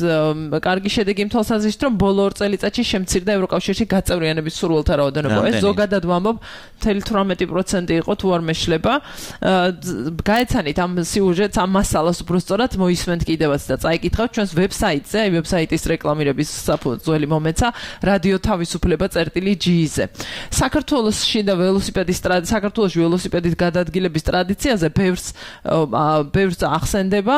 კარგი შედეგი იმ თვალსაზრისით, რომ ბოლო ორ წელიწადში შემცირდა ევროკავშირში გაწევრიანების სურვილთა რაოდენობა. ეს ზოგადად ვამბობ, თერთმეტი პროცენტი იყო თუ არ მეშლება. გაეცანით ამ სიუჟეტს, ამ მასალას უბრალოდ მოისმენთ კიდევაც და წაიკითხავთ ჩვენს ვებსაიტზე, აი ვებსაიტის რეკლამირების საფუძველი მომეცა რადიო თავისუფლება წერტილი ჯი-ზე. საქართველოში და ველოსიპედის საქართველოში ველოსიპედით გადაადგილების ტრადიციაზე ბევრს ბევრს ახსენდება,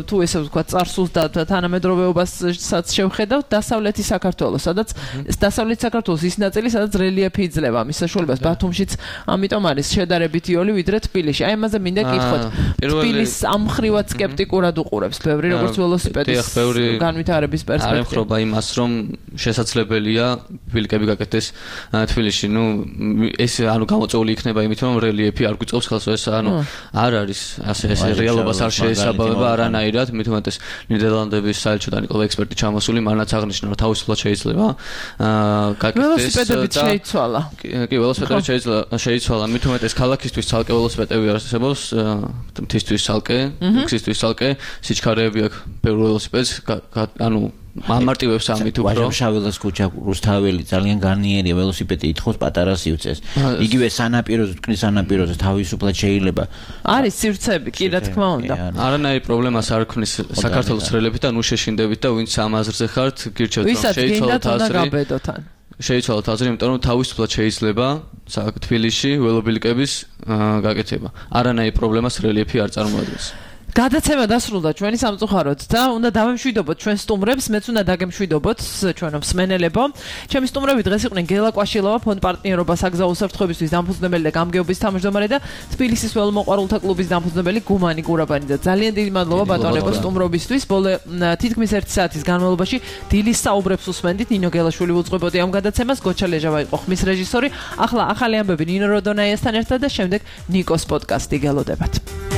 თუ ესე ვთქვათ, წარსულს და თანამედროვეობასაც შევხედავთ, დასავლეთი საქართველოს, სადაც დასავლეთი საქართველოს ის ნაწილი, სადაც რელიეფი იძლევა მის საშუალებას ბათუმშიც, ამიტომ არის შედარებით იოლი ვიდრე თბილისში. აი ამაზე მინდა გითხოთ. თბილის ამ ხრივად სკეპტიკურად უყურებს ბევრი როგორც ველოსიპედის განვითარების პერსპექტივა. არ ემხრობა იმას, რომ შესაძლებელია ბილიკები გაკეთდეს თბილისში. ნუ ეს ანუ გამოწეული იქნება იმით, რომ რელიეფი არ გვიწყობს ხელს, ეს ანუ არ არის ასე ეს რეალობას არ შეესაბამება არანაირად, მით უმეტეს ნიდერლანდების საელჩოდან იყო ექსპერტი ჩამოსული, მანაც აღნიშნა, რომ თავისუფლად შეიძლება გაკეთდეს ველოსიპედებით შეიცვალა. კი, ველოსიპედები შეიცვალა, მით უმეტეს ქალაქისთვის ცალკე ველოსიპედები არსებობს, მთისთვის ცალკე, უქსისთვის ცალკე, სიჩქარეები აქვს ბევრ ველოსიპედს, ანუ ამარტივებს ამით უფრო. ვაჟა-შაველას ქუჩა, რუსთაველი ძალიან განიერია, ველოსიპედი ითხოვს პატარა სივრცეს. იგივე სანაპიროზე, თქვნის სანაპიროზე თავისუფლად შეიძლება. არის სივრცეები, კი რა თქმა უნდა. არანაირი პრობლემას არ ქნის საქართველოს რელებით და ნუ შეშინდებით და ვინც ამ აზრზე ხართ, გირჩევთ რომ შეიცვალოთ აზრი. შეიცვალოთ აზრი, იმიტომ რომ თავისუფლად შეიძლება თბილისში ველობილიკების გაკეთება. არანაირი პრობლემას რელიეფი არ წარმოადგენს. გადაცემა დასრულდა ჩვენი სამწუხაროდ და უნდა დავემშვიდობოთ ჩვენ სტუმრებს, მეც უნდა დაგემშვიდობოთ ჩვენო მსმენელებო. ჩემი სტუმრები დღეს იყვნენ გელა კვაშილოვა, ფონდ პარტნიორობა საგზაო უსაფრთხოებისთვის დამფუძნებელი და გამგეობის თავმჯდომარე და თბილისის ველომოყვარულთა კლუბის დამფუძნებელი გუმანი გურაბანი და ძალიან დიდი მადლობა ბატონებო სტუმრობისთვის. ბოლო თითქმის ერთი საათის განმავლობაში დილის საუბრებს უსმენდით. ნინო გელაშვილი უძღვებოდი ამ გადაცემას, გოჩა ლეჟავა იყო ხმის რეჟისორი. ახლა ახალი ამბები ნინო როდონაიასთან ერთად და შემდეგ ნიკოს პოდკასტი გელოდებათ.